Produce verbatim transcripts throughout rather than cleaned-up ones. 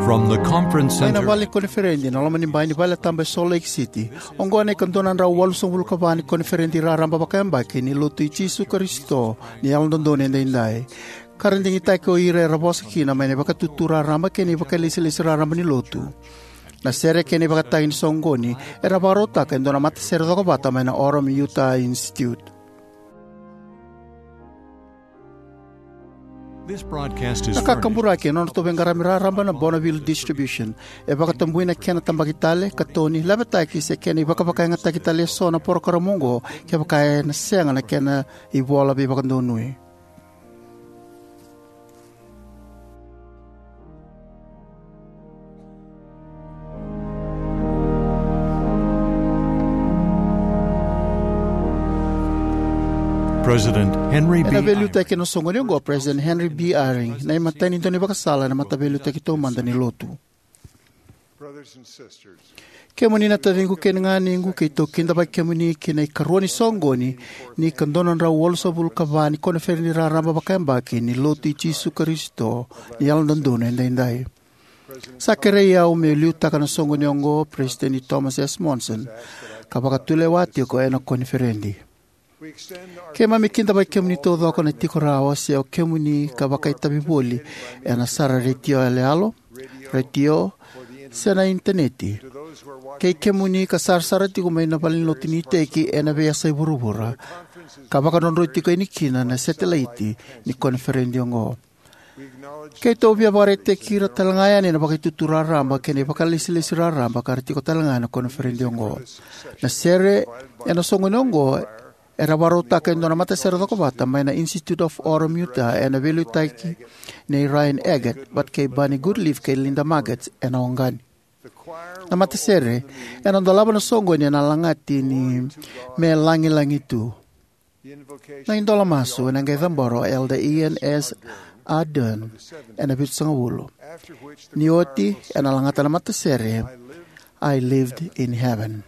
From the conference center. Mai na vale ni koniferedi ena loma ni bai ni vale tabu e Salt Lake City. Oqo na ika dua na drau walusagavulu ka va ni koniferedi raraba vakayabaki ni Lotu i Jisu Karisito ni Yalododonu Edaidai, ka ra digitaki o ira era vosa kina mai na ivakatutu raraba kei na ivakalesilesi raraba ni Lotu. Na sere kei na ivakatagi ni soqoni era vakarautaka e dua na matasere cokovata mai na Orem Utah Institute. This broadcast is Na kakaburaki e nodratou veiqaravi raraba na Bonneville Distribution. E vakatabui na kena tabaki tale, katoni, lavetaki se kena ivakavakayagataki tale eso na porokaramu oqo kevaka ena sega na kena ivola veivakadonui. President Henry B. Ena veiliutaki ena soqoni oqo o President Henry B. Eyring, na imatai ni daunivakasala ena Mataveiliutaki Taumada ni Lotu. Kemuni na taciqu kei na ganequ, keitou kidavaki kemuni ki na ikarua ni soqoni ni ika dua na drau walusagavulu ka va ni koniferedi raraba vakayabaki ni Lotu i Jisu Karisito ni Yalododonu Edaidai. Sa kerei au meu liutaka na soqoni oqo o President Thomas S. Monson, ka vakatulewa tiko ena koniferedi. Keimami kidavaki kemuni taucoko na tiko rawa se o kemuni ka vakaitavi voli ena sara retio yaloyalo, retio, se na initaneti. Kei kemuni ka sarasara tiko mai na valenilotu ni iteki ena veiyasai vuravura, ka vakadrodroi tiko yani kina na setelaiti ni koniferedi oqo. Keitou via vakaraitaki ira talega yani na vakaitutu raraba kei na ivakalesilesi raraba ka ra tiko talega ena koniferedi oqo. Na sere ena soqoni oqo era vakarautaka e dua na matasere cokovata mai na Institute of Orem Utah ena veiliutaki nei Ryan Eggett vata kei Barney Goodleaf kei Linda Maggots ena Oqani. Na matasere ena dolava na soqoni ena lagati ni Me Lagilagi Tu. Na idola masu ena qai cabora o Elder Ian S. Ardern ena vitusagavulu. Ni oti ena lagata na matasere I Lived in Heaven.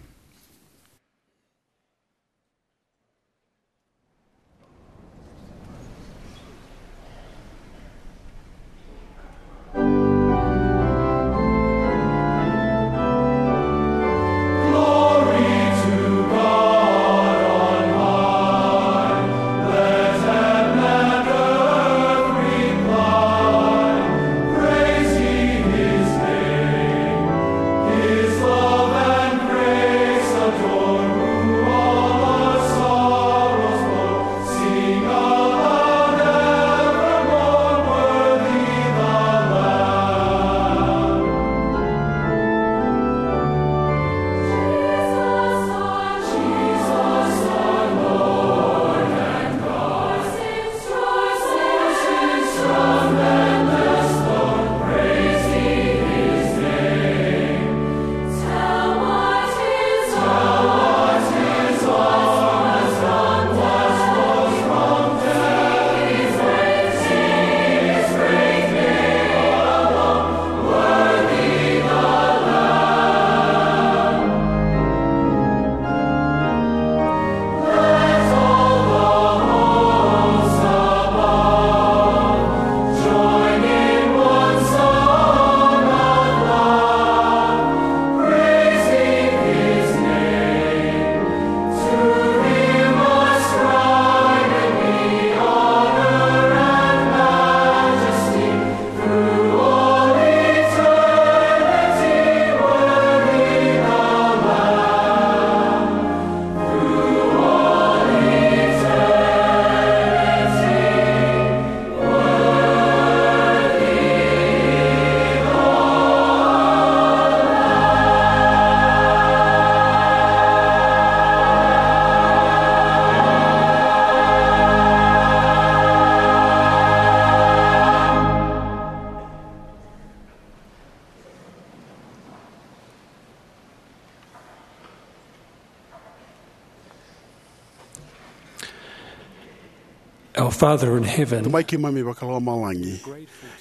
Our Father in heaven, Tamai keimami vakalomalagi,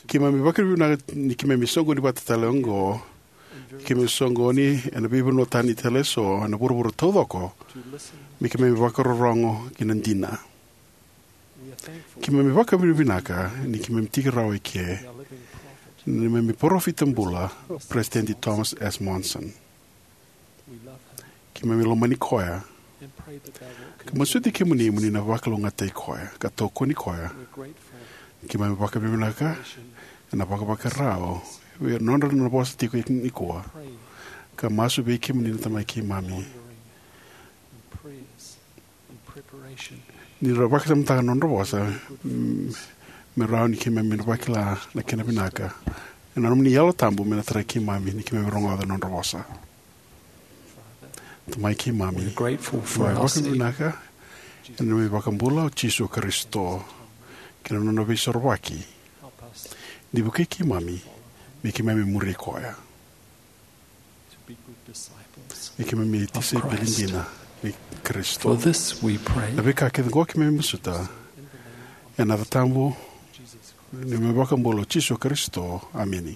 keimami vakavinavinaka ni keimami soqoni vata tale oqo. Keimami soqoni ena veivanua tani tale eso ena vuravura taucoko me keimami vakarorogo ki na dina. Keimami vakavinavinaka ni keimami tiki rawa eke. neimami parofita bula, President Thomas S. Monson. Keimami lomani koya ka masuti kemuni mo ni na vakalougatataki koya ka tokoni koya. Keimami vakavinavinaka ena vakavakarau vei ira na nodra na vosa tiko nikua ka masu vei kemuni na Tamai keimami. Ni ra vakasamataka na nodra vosa, mm, me rawa ni keimami na vakila na kena vinaka. Ena nomuni Yalo Tabu me na tarai keimami ni keimami rogoca na nodra vosa. Tamai keimami, keimami vakavinavinaka ena nomuni iVakabula o Jisu Karisito kei na nona Veisorovaki. Ni vukei keimami me keimami muri koya. Me keimami tisaipeli dina ni Karisito. Na veika kece oqo keimami masuta ena yaca tabu ni nomuni iVakabula o Jisu Karisito. Ameni.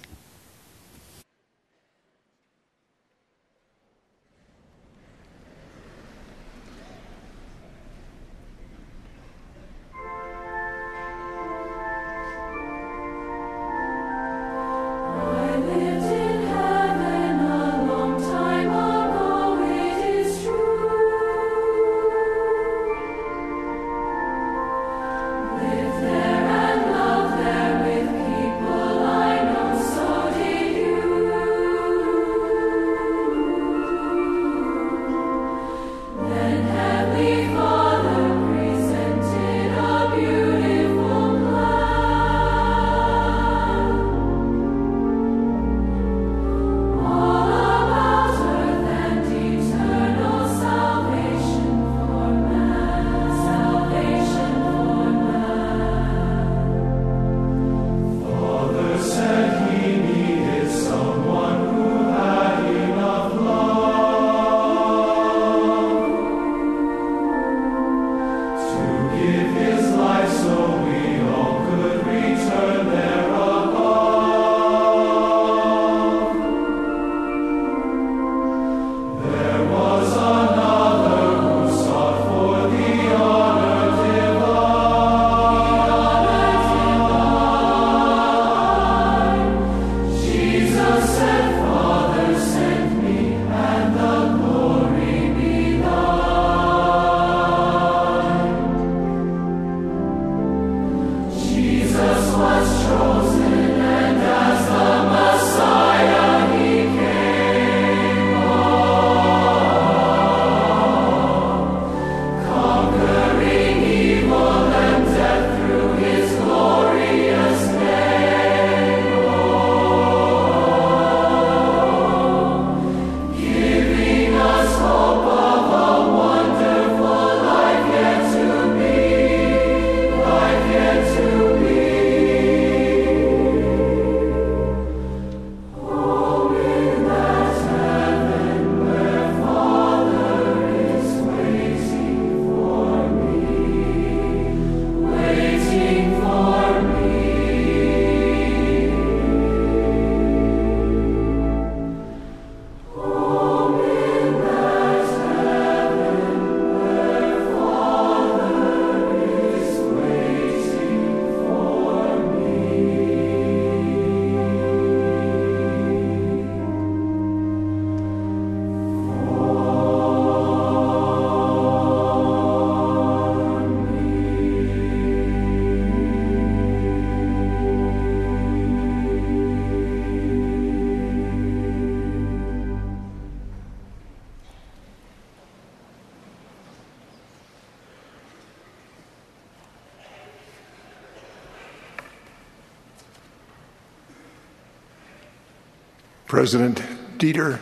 President Dieter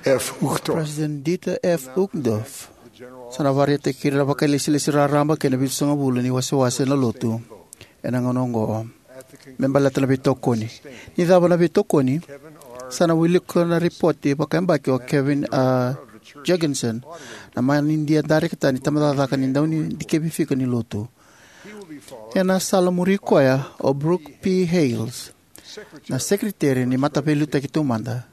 F. Uchtdorf. President Dieter F. Uchtdorf sa na vakaraitaki ira na vakailesilesi raraba kei na vitusagavulu ni wasewase na lotu ena gauna oqo me baleta na veitokoni. Ni cava na veitokoni? Sa na wilika na ripoti vakayabaki o Kevin, a, Jorgensen, na manidia darekita ni tabacakacaka ni daunidikevi fika ni lotu. Ena sala muri koya o Brooke P. Hales, na sekeriteri ni Mataveiliutaki Taumada,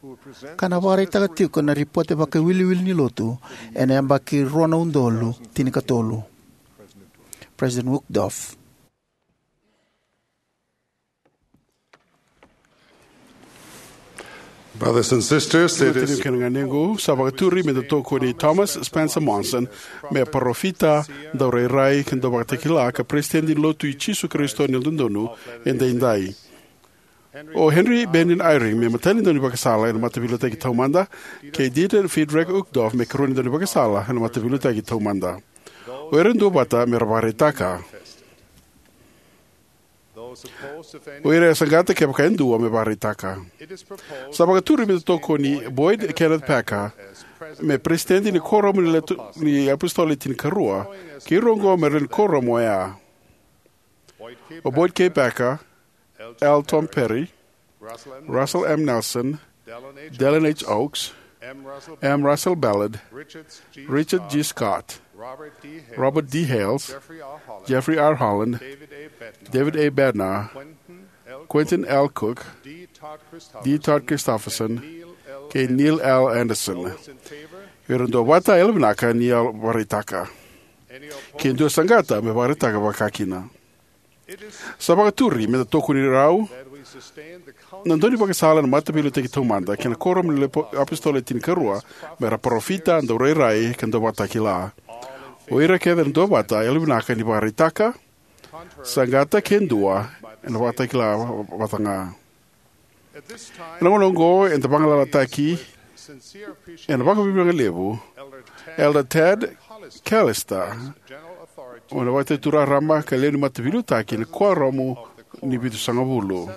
ka na vakaraitaka tiko na ripote vakaiwiliwili ni lotu ena yabaki rua na udolu tinikatolu. President Uchtdorf. Brothers and sisters, it Tinau is kei na ganequ, sa vakaturi me da tokoni Thomas Spencer Monson me parofita, daurairai, ka dauvakatakila, ka Peresitedi ni Lotu i Jisu Karisito ni Yalododonu Edaidai. O Henry Bennion Eyring me imatai ni daunivakasala ena Mataveiliutaki Taumada, kei Dieter Friedrich Uchtdorf me ikarua ni daunivakasala ena Mataveiliutaki Taumada. O ira duavata me ra vakaraitaka. O ira e saqata, kevaka e dua, me vakaraitaka. Sa vakaturi me da tokoni Boyd Kenneth Packer me Peresitedi ni Kuoramu ni Letu-, ni iApositolo Le Tinikarua, kei ira oqo me ra lewe ni kuoramu oya: o Boyd K. Packer, L. Tom Perry, Russell M. Nelson, Dallin H. Oaks, M. Russell Ballard, Richard G. Scott, Robert D. Hales, Jeffrey R. Holland, David A. Bednar, Quentin L. Cook, D. Todd Christofferson, kei Neil L. Andersen. Ira duavata, yalovinaka ni vakaraitaka. Ke dua saqata, me vakaraitaka vakakina. Sa vakaturi me da tokoni rau na daunivakasala ena Mataveiliutaki Taumada kei na Kuoramu ni Lepo-, iApositolo Le Tinikarua me ra parofita, daurairai, ka dauvakatakila. O ira kece na duavata, yalovinaka ni vakaraitaka. Saqata ke dua, ena vakatakila vata ga. Ena gauna oqo, eda vagalalataki ena vakavinavinaka levu Elder Tad Callister, o na vataitura raraba ka lewe ni mataveiliutaki ni Kuoramu ni Vitusagavulu.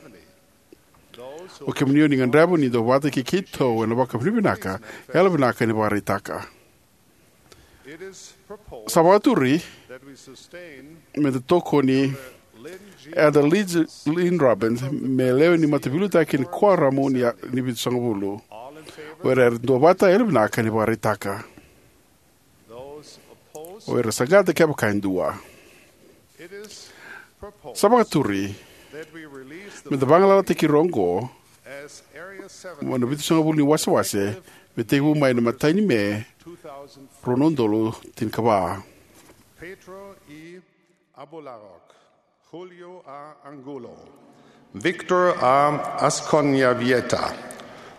O kemuni o ni gadreva ni duavata kei keitou ena vakavinavinaka, yalovinaka ni vakaraitaka. Sa vakaturi me da tokoni Elder Lynn Robbins me lewe ni mataveiliutaki ni Kuoramu ni, ni Vitusagavulu. O ira era duavata, yalovinaka ni vakaraitaka. O ira saqata, kevaka e dua. Sa vakaturi me da vagalalataki ira oqo mai na Vitusagavulu ni wasewase, me tekivu mai na imatai ni Me, rua na udolu tinikava. Pedro E. Abularok, Julio A. Angulo, Victor A. Asconavieta,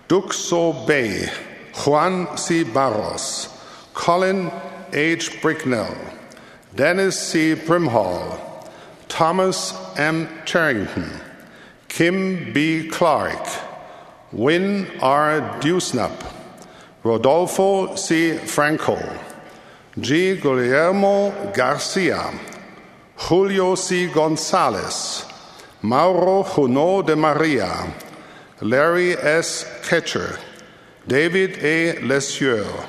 Duc So Bay, Juan C. Barros, Colin H. Bricknell, Dennis C. Brimhall, Thomas M. Cherrington, Kim B. Clark, Wynn R. Dewsnup, Rodolfo C. Franco, G. Guillermo Garcia, Julio C. Gonzalez, Mauro Junot de Maria, Larry S. Ketcher, David A. Lesieur,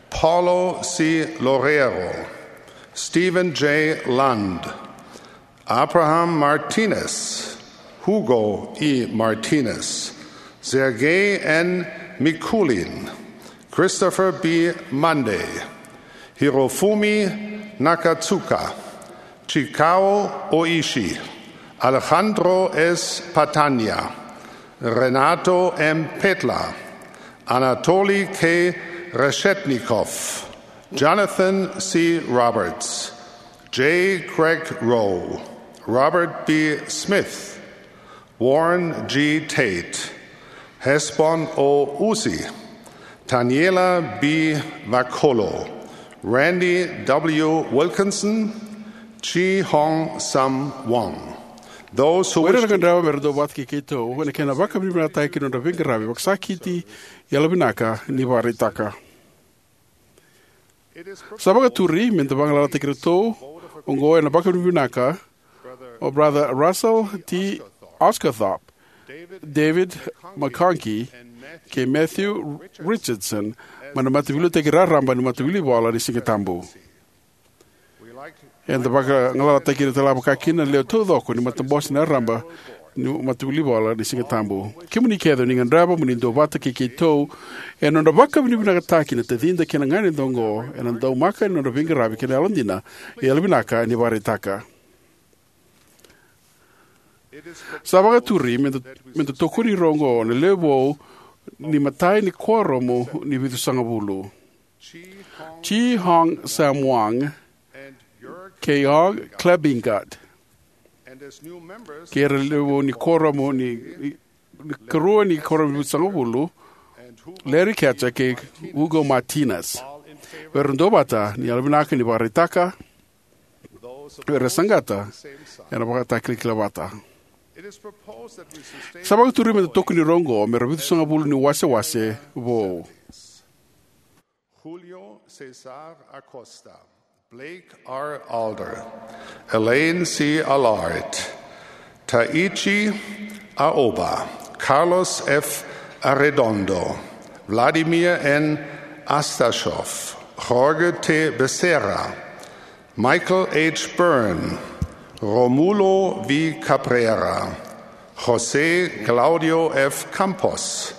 Paulo C. Loureiro, Stephen J. Lund, Abraham Martinez, Hugo E. Martinez, Sergei N. Mikulin, Christopher B. Munday, Hirofumi Nakatsuka, Chikao Oishi, Alejandro S. Patania, Renato M. Petla, Anatoly K. Reshetnikov, Jonathan C. Roberts, J. Craig Rowe, Robert B. Smith, Warren G. Tate, Hesbon O. Uzi, Taniela B. Vakolo, Randy W. Wilkinson, Chi Hong Sam Wong. Those who O ira wish na to gadreva me ra duavata kei keitou ena kena vakavinavinakataki na nodra veiqaravi vakasakiti, yalovinaka ni vakaraitaka. Sa vakaturi me da vagalalataki iratou oqo ena vakavinavinaka o Brother Russell T. Osguthorpe, David McConkie, kei Matthew Richardson mai na Mataveiliutaki Raraba ni Matavuvale ni Sigatabu. Eda vagalalataki ira tale vakakina na lewe taucoko ni matabose ni raraba ni Matavuvale ni Sigatabu. Kemuni kece o ni gadreva mo ni duavata kei keitou ena nodra vakavinavinakataki na tacida kei na ganeda oqo ena daumaka ni nodra veiqaravi kei na yalodina, yalovinaka ni vakaraitaka. Sa vakaturi me da, me da tokoni ira oqo na lewe vou ni imatai ni Kuoramu ni Vitusagavulu: Chi Hong Sam Wang kei Og Klebingat, kei ira na lewe vou ni Kuoramu ni Karua ni Kuoramu Vitusagavulu, Larry Katzer kei Hugo Martinez. O ira duavata, ni yalovinaka ni vakaraitaka. O ira saqata, ena vakatakilakila vata. Sa vakaturi meda tokoni ira oqo me ra vitusagavulu ni wasewase vou. Julio Cesar Acosta, Blake R. Alder, Elaine C. Allard, Taichi Aoba, Carlos F. Arredondo, Vladimir N. Astashov, Jorge T. Becerra, Michael H. Byrne, Romulo V. Cabrera, José Claudio F. Campos,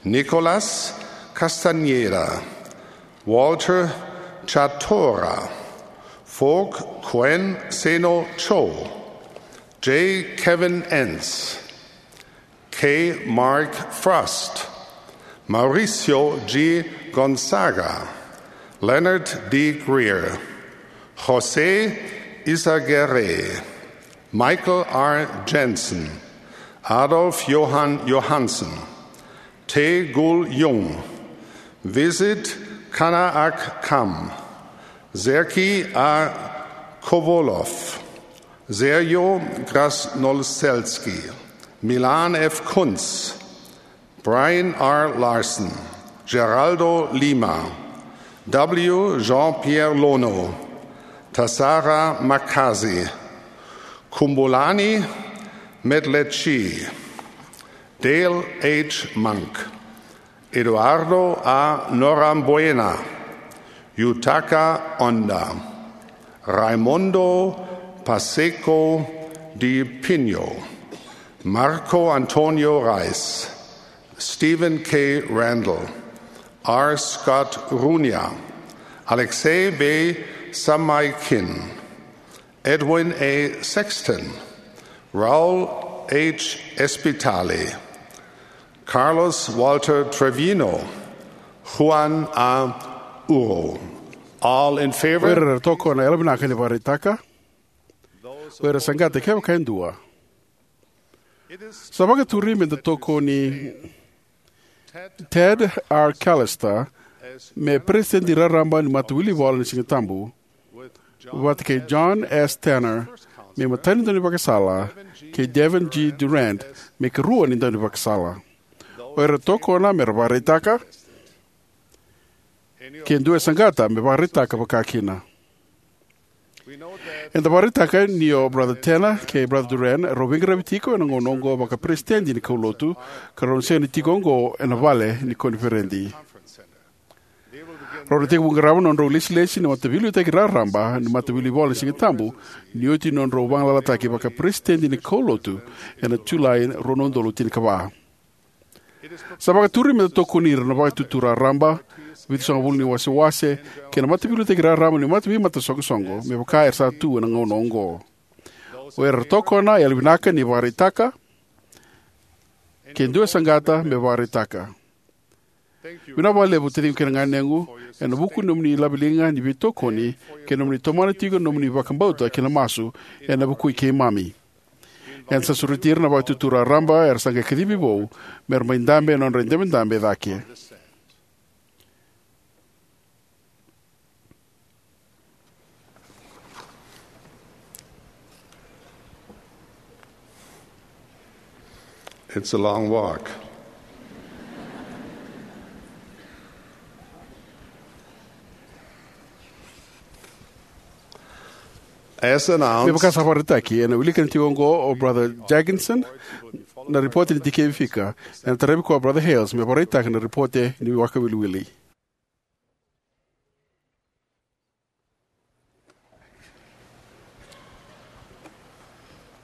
Nicolas Castañeda, Walter Chatora, Foke Kuen Seno Cho, J. Kevin Enns, K. Mark Frost, Mauricio G. Gonzaga, Leonard D. Greer, José Izaguirre, Michael R. Jensen, Adolf Johan Johansson, Tae Gul Jung, Visit Kanaak Kam, Sergei A. Kovalov, Sergio Krasnoselski, Milan F. Kuntz, Brian R. Larson, Geraldo Lima, W. Jean-Pierre Lono, Tasara Makazi, Kumbulani Medlechi, Dale H. Monk, Eduardo A. Norambuena, Yutaka Honda, Raimundo Pacheco de Pinho, Marco Antonio Reis, Stephen K. Randall, R. Scott Runia, Alexei V. Samaikin, Edwin A. Sexton, Raul H. Espitali, Carlos Walter Trevino, Juan A. Uro. All in favor? O ira era tokona, yalovinaka ni vakaraitaka. O ira saqata, kevaka e dua. Sa vakaturi meda tokoni Ted R. Callister me peresitedi raraba ni Matawilivola ni Sigatabu, vata kei John S. Tanner me imatai ni daunivakasala, kei Devin G. Durrant me ikarua ni daunivakasala. O ira tokona me ra vakaraitaka, ke dua e saqata me vakaraitaka vakakina. Eda vakaraitaka ni o Brother Tanner kei Brother Durrant rau veiqaravi tiko ena gauna oqo vakaperesitedi ni kaulotu, ka rau na sega ni tiko oqo ena vale ni koniferedi. Rau na tekivu qarava na nodrau ilesilesi na mataveiliutaki raraba ni Matawilivola ni Sigatabu ni oti na nodrau vagalalataki vakaperesitedi ni kaulotu ena Julai rua na udolu tinikava. Sa vakaturi meda tokoni ira na Vakaitutu Raraba, Vitusagavulu ni Wasewase, kei na mataveiliutaki raraba ni mata-, veimataisoqosoqo me vaka era sa tu ena gauna oqo. O ira era tokona, yalovinaka ni vakaraitaka, ke dua e saqata me vakaraitaka. Vinaka vakalevu, taciqu kei na ganequ, ena vuku ni nomuni laveliga ni veitokoni kei na nomuni tomana tiko na nomuni vakabauta kei na masu ena vuku i keimami. Eda sa sureti ira na Vakaitutu Raraba era sa qai kacivi vou me ra mai dabe ena nodra idabedabe cake. It's a long walk. As announced, me vaka sa vakaraitaki, ena wilika tiko oqo o Brother Jaginson na ripote ni dikevi fika, ena taravi koya o Brother Hales me vakaraitaka na ripote ni vakawiliwili.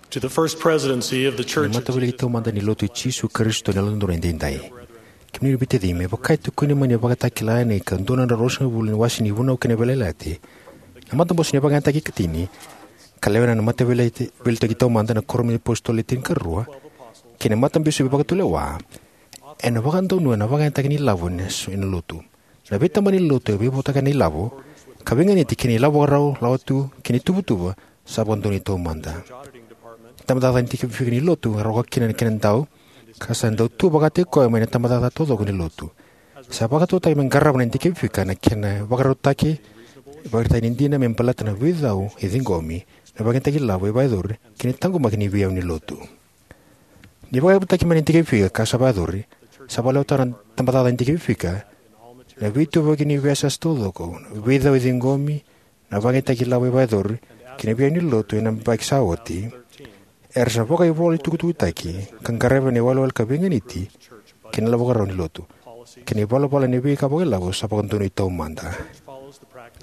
To the First Presidency of the Church of Matawiliki Taumada ni Lotu i Jisu Karisito ni Yalododonu Edaidai. Kemuni na veitacimi, me vaka e tukuni mai na ivakatakila ena ikadua na drau ruasagavulu ni wase ni Vunau kei na Veiyalayalati, na matabose ni vakayagataki ikatini, ka lewena na Mataveiyalayalati Taumada, na Kuoramu ni iApositolo Le Tinikarua, kei na Matabisopi Vakatulewa, ena vakadonui na vakayagataki ni ilavo ena so-, ena lotu. Na veitabana ni lotu e veivakarau ena ilavo, ka veiganiti kei na ilavo vakarau, lawatu kei na ituvatuva sa vakadonui taumada. Tabacakacaka ni dikevi fika ni lotu e rawa kina na kena dau ka sa dau tu vakataki koya mai na tabacakacaka taucoko ni lotu. Sa vakatautaki me qarava na dikevi fika na kena vakarautaki, ivakaraitaki ni dina me baleta na veicau e ciqomi, na vakayagataki lavo e vakayacori, kei na taqomaki ni veiyavu ni lotu. Ni vakayavutaki mai na dikevi fika ka sa vakayacori, sa vakalewa tale na tabacakacaka ni dikevi fika na veituvaki ni veiyasana taucoko, na veicau e ciqomi, na vakayagataki lavo e vakayacori, kei na veiyavu ni lotu ena yabaki sa oti. Era sa vakaivolatukutukutaki ka qaravi ena iwalewale ka veiganiti kei na lavo vakarau ni lotu, kei na ivalavala ni veika vakailavo sa vakadonui taumada.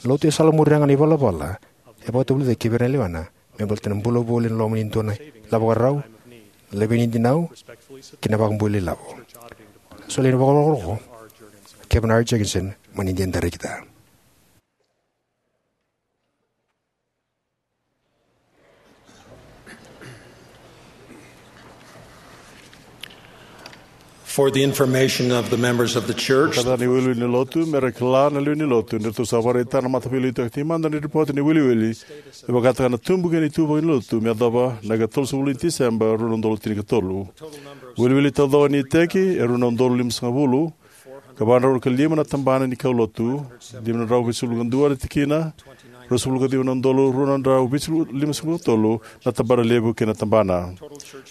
Lotu e salamuri ga na ivalavala e vakatavulici kei ira na lewena me baleta na bula voli ena loma ni dua na ilavo vakarau, levei ni dinau, kei na vakabulai lavo. Solia na vakarokoroko, Kevin R. Jenkinson, mai na Dina Darekita. For the information of the members of the church, Ka da ni wiliwili ni lotu, me ra kila na lewe ni lotu, ni ratou sa vakaraitaka na mataveiliutaki taumada ni ripoti ni wiliwili, e vakataka na tubu kei na ituvaki ni lotu, me yacova na ika tolusagavulu ni Tiseba, rua na udolu tinikatolu. Wiliwili taucoko ni iteki e rua na udolu limasagavulu, ka va na rua ka lima na tabana ni kaulotu, lima na drau vitusagavulu ka dua na tikina, ruasagavulu ka ciwa na udolu rua na drau vitusagavulu limasagavulu ka tolu na tabana levu kei na tabana.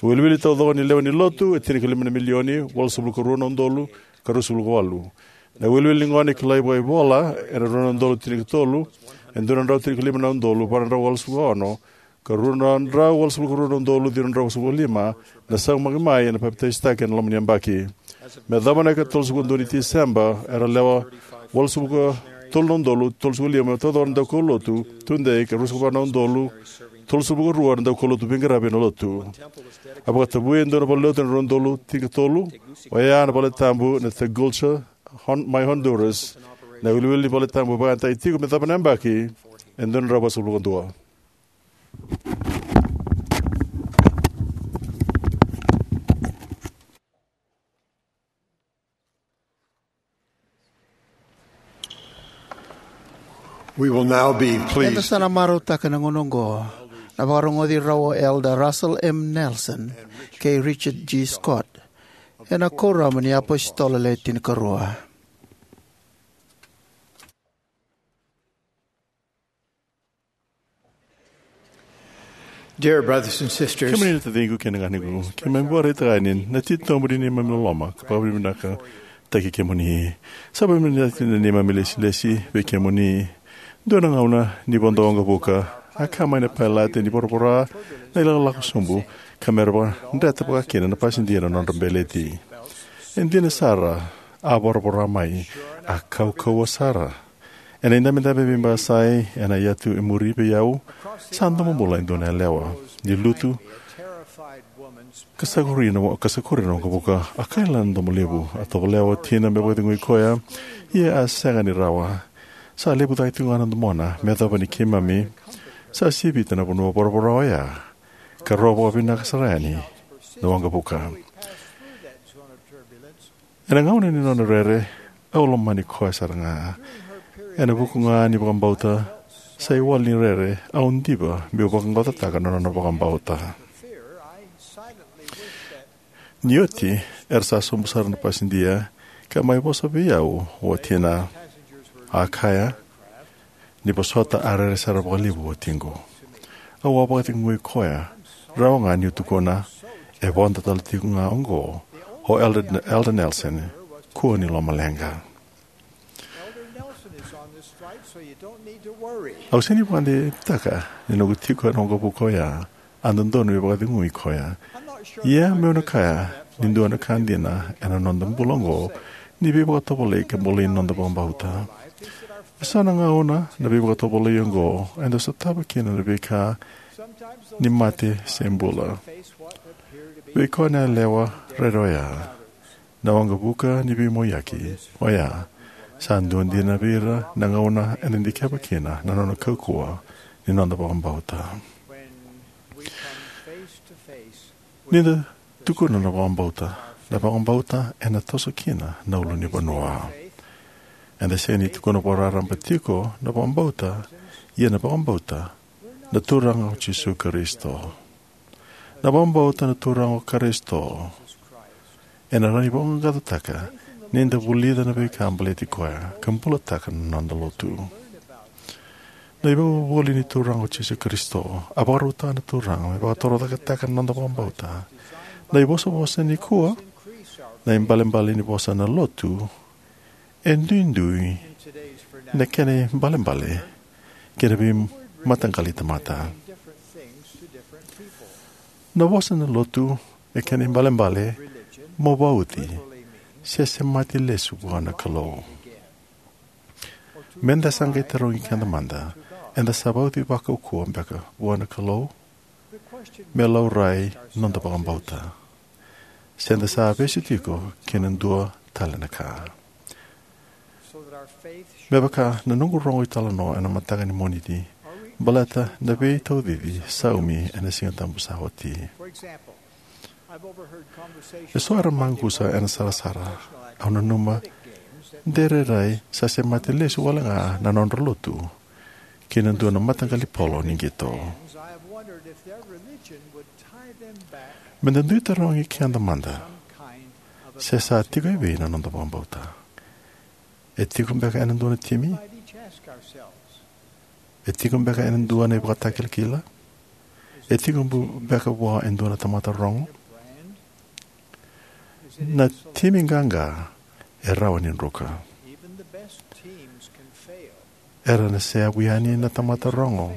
Wiliwili taucoko ni lewe ni lotu e tinikalima na milioni, walusagavulu ka rua na udolu ka ruasagavulu ka walu. Na wiliwili ni gone kilai vakaivola ena rua na udolu tinikatolu, e dua na drau tinikalima na udolu va na drau walusagavulu ka ono, ka rua na drau walusagavulu ka rua na udolu ciwa na drau walusagavulu ka lima na saumaki mai ena papitaisotaki ena loma ni yabaki. Me yacova na ika tolusagavulu ka dua ni Tiseba, era lewa walusagavulu ka tolu na udolu tolusagavulu ka lima taucoko na daukaulotu tudei, ka ruasagavulu ka va na udolu tolusagavulu ka rua na daukaulotu veiqaravi ena lotu. A vakatavui e dua na valenilotu ena rua na udolu tinikatolu, oya na valetabu na Tegucigalpa, Hon-, mai Honduras. Na wiliwili ni valetabu vakayagataki tiko me yacova na yabaki e dua na drau vasagavulu ka dua. We will now be Eda pleased sa na marautaka ena gauna oqo na vakarogoci rau o Elder Russell M. Nelson kei Richard G. Scott ena Kuoramu ni iApositolo Le Tinikarua. Dear brothers and sisters, kemuni na taciqu kei na ganequ, keimami vakaraitaka yani na titobu ni neimami loloma ka vakavinavinakataki kemuni. Sa vakavinavinakataki na neimami lesilesi vei kemuni. Dua na gauna ni vodo waqavuka, a kaya mai na pailate ni voravora na ilakolako sobu ka me ra vakadreta vakakina na pasidia na nodra beleti. E dina sara, a voravora mai, a kaukauwa sara. Ena idabedabe veibasai ena yatu e muri vei au, sa domobula e dua na yalewa. Ni lutu ka sakuri na, ka sakuri na waqavuka, a kaila na domo levu. A tovolea o tina me vakacegui koya, ia a sega ni rawa. Sa levu cake tiko ga na domona me yacova ni keimami sa sivita na vanua voravora oya ka rau vakavinaka sara yani na waqavuka. Ena gauna ni nona rere, au lomani koya sara ga. Ena vuku ga ni vakabauta, sa iwali ni rere, au diva meu vaqaqacotaka na nona vakabauta. Ni oti, era sa sobu sara na pasidia ka mai vosa vei au o watina. A kaya, ni vosota a rere sara vakalevu o watiqu. Au a vakacegui koya, rawa ga niu tukuna, e vodo tale tiko ga oqo o Elder, Elder Nelson, kua ni lomaleqa. Au sega ni vakadewataka ni noqu tiko ena waqavuka oya a dodonu me vakacegui koya. Ia meu na kaya ni dua na ka dina ena noda bula oqo ni veivakatovolei ka bolei noda vakabauta. Eso na gauna na veivakatovolei oqo eda sotava kina na veika ni mate se bula. Vei koya na yalewa rere oya, na waqavuka ni veimoiyaki oya sa dua dina vei ira na gauna eda dikeva kina na nona kaukauwa ni noda vakabauta. Ni da tukuna na vakabauta, na vakabauta ena toso kina na ulunivanua. Eda sega ni tukuna vakararaba tiko na vakabauta, ia na vakabauta na Turaga o Jisu Karisito. Na vakabauta na Turaga o Karisito Ena rawa ni vaqaqacotaka ni da vulica na veika baleti koya ka bulataka na noda lotu. Na ivakavuvuli ni Turaga o Jisu Karisito a vakarautaka na Turaga me vakatorocaketaka na noda vakabauta. Na ivosavosa nikua, na ibalebale ni vosa na lotu, e duidui na kena ibalebale kei na veimataqali tamata. Na vosa na lotu e kena ibalebale mo vauci se semati lesu vua na Kalou. Meda sa qai tarogi keda mada, eda sa vauci vakaukauwa beka vua na Kalou me laurai noda vakabauta, se da sa vesu tiko ki na dua tale na ka? Me vaka na noqu rogo italanoa ena mataka ni Moniti baleta na veitaucici saumi ena Siga Tabu sa oti. Eso era maqusa ena sarasara. Au nanuma de rairai sa semati lesu wale ga na nodra lotu ki na dua na mataqali polo ni qito. Meda dui tarogi keda mada, se sa tiko evei na noda vakabauta? E tiko beka ena dua na timi? E tiko beka ena dua na ivakatakilakila? E tiko bu-, beka vua e dua na tamata rogo? Na timi qaqa e rawa ni druka. Era na seyavu yani na tamata rogo.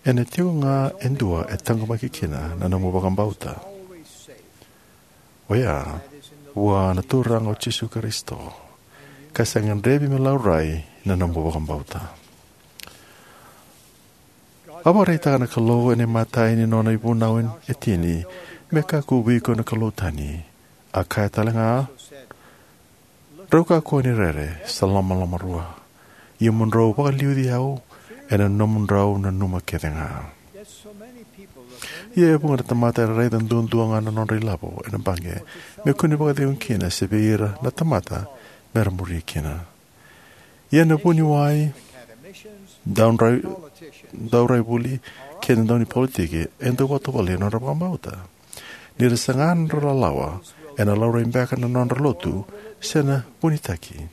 Ena tiko ga e dua e taqomaki kina na nomu vakabauta. Oya, vua na Turaga o Jisu Karisito, ka sa gadrevi me laurai na nomu vakabauta. A vakaraitaka na Kalou ena imatai ni nona ivunau e tini me kakua vei iko na kalou tani. A kaya tale ga, "Drau kakua ni rere sa lomalomarua, ia mo drau vakaliuci au ena nomudrau nanuma kece ga." Ia e vuqa na tamata era raica duadua ga na nodra ilavo ena baqe me kua ni vakacegu kina se vei ira na tamata me ra muri kina. Ia na vuniwai, daudrai-, dauraivuli kei na daunipolitiki e dau vakatovolei na nodra vakabauta. Ni ra saga na nodra lalawa, ena laurai beka na nodra lotu se na vunitaki.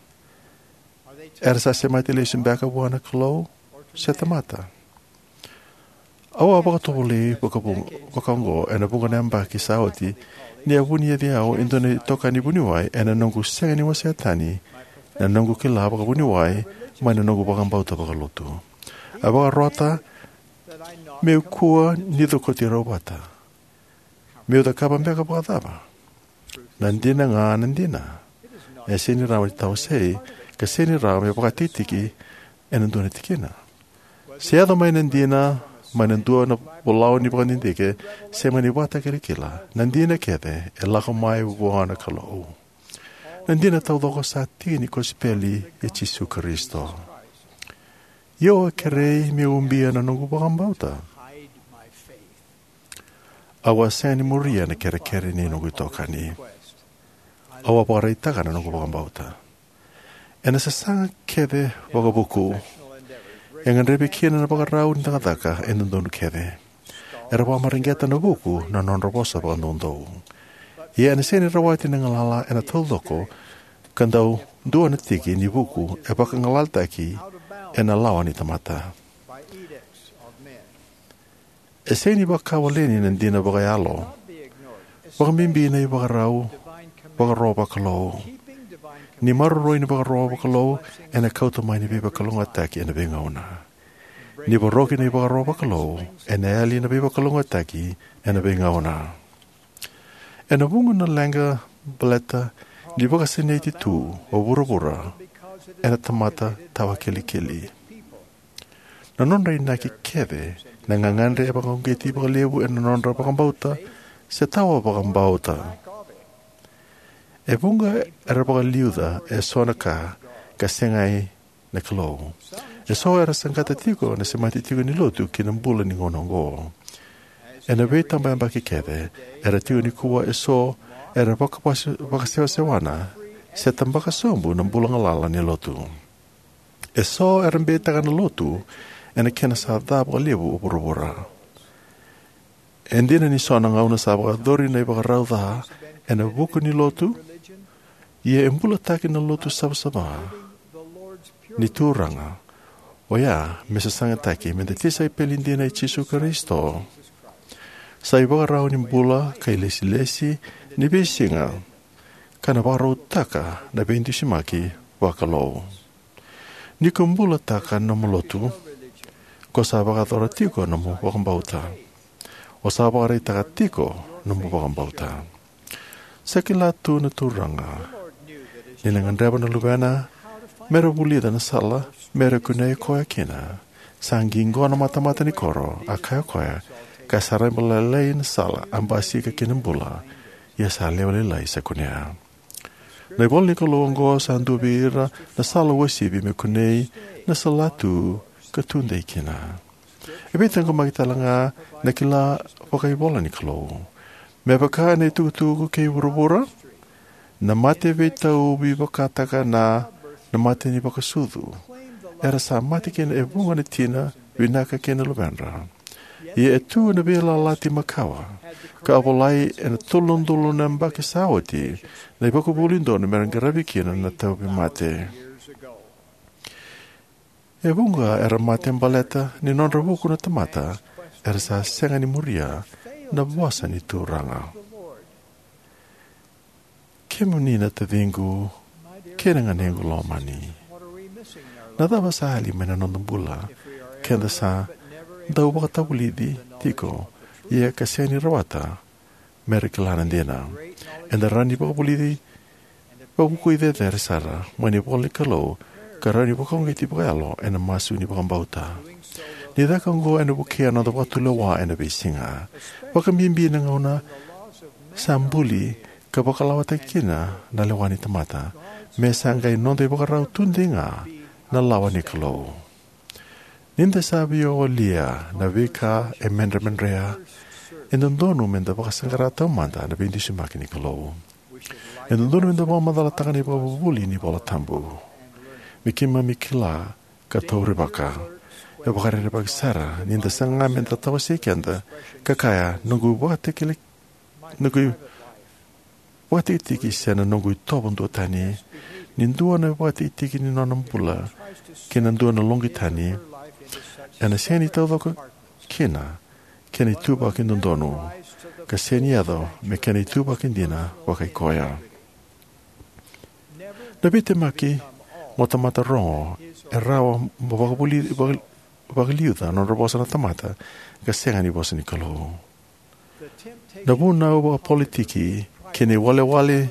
Era sa semati lesu beka vua na Kalou se tamata? Au a vakatovolei vakavu-, vakaoqo ena vuqa na yabaki sa oti, ni a vuniyacitaki au e dua na itokani vuniwai ena noqu sega ni wasea tani na noqu kila vakavuniwai mai na noqu vakabauta vakalotu. A vakarota meu kua ni cokoti rau vata. Meu cakava beka vakacava? Na dina ga na dina. E sega ni rawa ni tawasei, ka sega ni rawa me vakatikitiki ena dua na tikina. Se yaco mai na dina mai na dua na volau ni vakadidike se mai na ivakatakilakila, na dina kece e lako mai vua na Kalou. Na dina taucoko sa tiki ni kosipeli i Jisu Karisito. Ia au a kerei meu ubia na noqu vakabauta. Au a sega ni muria na kerekere ni noqu itokani. Au a vakaraitaka na noqu vakabauta. Ena sasaga kece vakavuku, e gadrevi kina na vakarau ni cakacaka e dodonu kece. Era vakamareqeta na vuku na nodra vosa vakadoudou. Ia ena sega ni rawati na galala ena taucoko ka dau dua na tiki ni vuku e vakagalalataki ena lawa ni tamata. E sega ni vakawaleni na dina vakayalo, vakabibi na ivakarau, ivakaro vakalou. Ni maroroi na ivakaro vakalou ena kauta mai na veivakalougatataki ena veigauna. Ni voroki na ivakaro vakalou ena yali na veivakalougatataki ena veigauna. Ena vuqa na leqa baleta ni vakasinaiti tu o vuravura ena tamata tawakilikili. Na nodra inaki kece na gagadre e vakauqeti vakalevu ena nodra vakabauta se tawa vakabauta. E vuqa era vakaliuca eso na ka ka segai na Kalou. Eso era saqata tiko na semati tiko ni lotu ki na bula ni gauna oqo. Ena veitabayabaki kece era tiko nikua eso era vakavase-, vakasewasewana se tabaka sobu na bula galala ni lotu. Eso era beitaka na lotu ena kena sa ca vakalevu o vuravura. E dina ni so na gauna sa vakayacori na ivakarau ca ena vuku ni lotu, ia e bulataki na lotu savasava ni Turaga, oya me sasagataki me da tisaipeli dina i Jisu Karisito, sa ivakarau ni bula ka ilesilesi ni veisiga, ka na vakarautaka na veidusimaki vakalou. Ni ko bulataka na nomu lotu, ko sa vakayacora tiko na nomu vakabauta. O sa vakaraitaka tiko na nomu vakabauta. Sa kila tu na Turaga ni na gadreva na luvena me ra vulica na sala me ra kunei koya kina. Sa qiqo na matamata ni koro, a kaya o koya, ka sa raiba lailai na sala a basika ki na bula, ia sa lewe lailai sa kunea. Na ivola ni Kalou oqo sa dua vei ira na sala uasivi me kunei na salatu ka tudei kina. E veitaqomaki tale ga na kila vakaivola ni Kalou. Me vaka na itukutuku kei vuravura, na mate veitauvi vakataka na, na mate ni vakasucu. Era sa mate kina e vuqa na tina vinaka kei na luvedra. Ia e tu na veiyalayalati makawa, ka a volai ena tolu na udolu na yabaki sa oti, na ivakavuvuli donu me ra qaravi kina na tauvimate. E vuqa era mate baleta ni nodra vuku na tamata era sa sega ni muria na vosa ni Turaga. Kemuni na taciqu kei na ganequ lomani, na cava sa yali mai na noda bula keda sa dau vakatavulici tiko, ia ka sega ni rawata me ra kila na dina? Eda rawa ni vakavulici, vakavukui cecere sara mai na ivola ni Kalou, ka rawa ni vakauqeti vakayalo ena masu ni vakabauta. Ni caka oqo ena vukea na noda vakatulewa ena veisiga, vakabibi na gauna sa buli ka vakalawataki kina na lewa ni tamata, me sa qai noda ivakarau tudei ga na lawa ni Kalou. Ni da sa via walia na veika e medremedrea, e dodonu me da vakasaqara taumada na veidusimaki ni Kalou. E dodonu me da vakamacalataka na ivakavuvuli ni iVola Tabu, me keimami kila ka taurivaka. E vakarerevaki sara ni da saga me da tawasei keda ka kaya, noqu vakatekele, noqu vakatikitiki se na noqu itovo duatani. Ni dua na vakatikitiki ni nona bula kei na dua na loqi tani, ena sega ni taucoko kina kena ituvaki dodonu, ka sega ni yaco me kena ituvaki dina vakai koya. Na veitemaki mo tamata rogo, e rawa mo vakavuli, vaka-, vakaliuca na nodra vosa na tamata, ka sega ni vosa ni Kalou. Na vunau vakapolitiki kei na iwalewale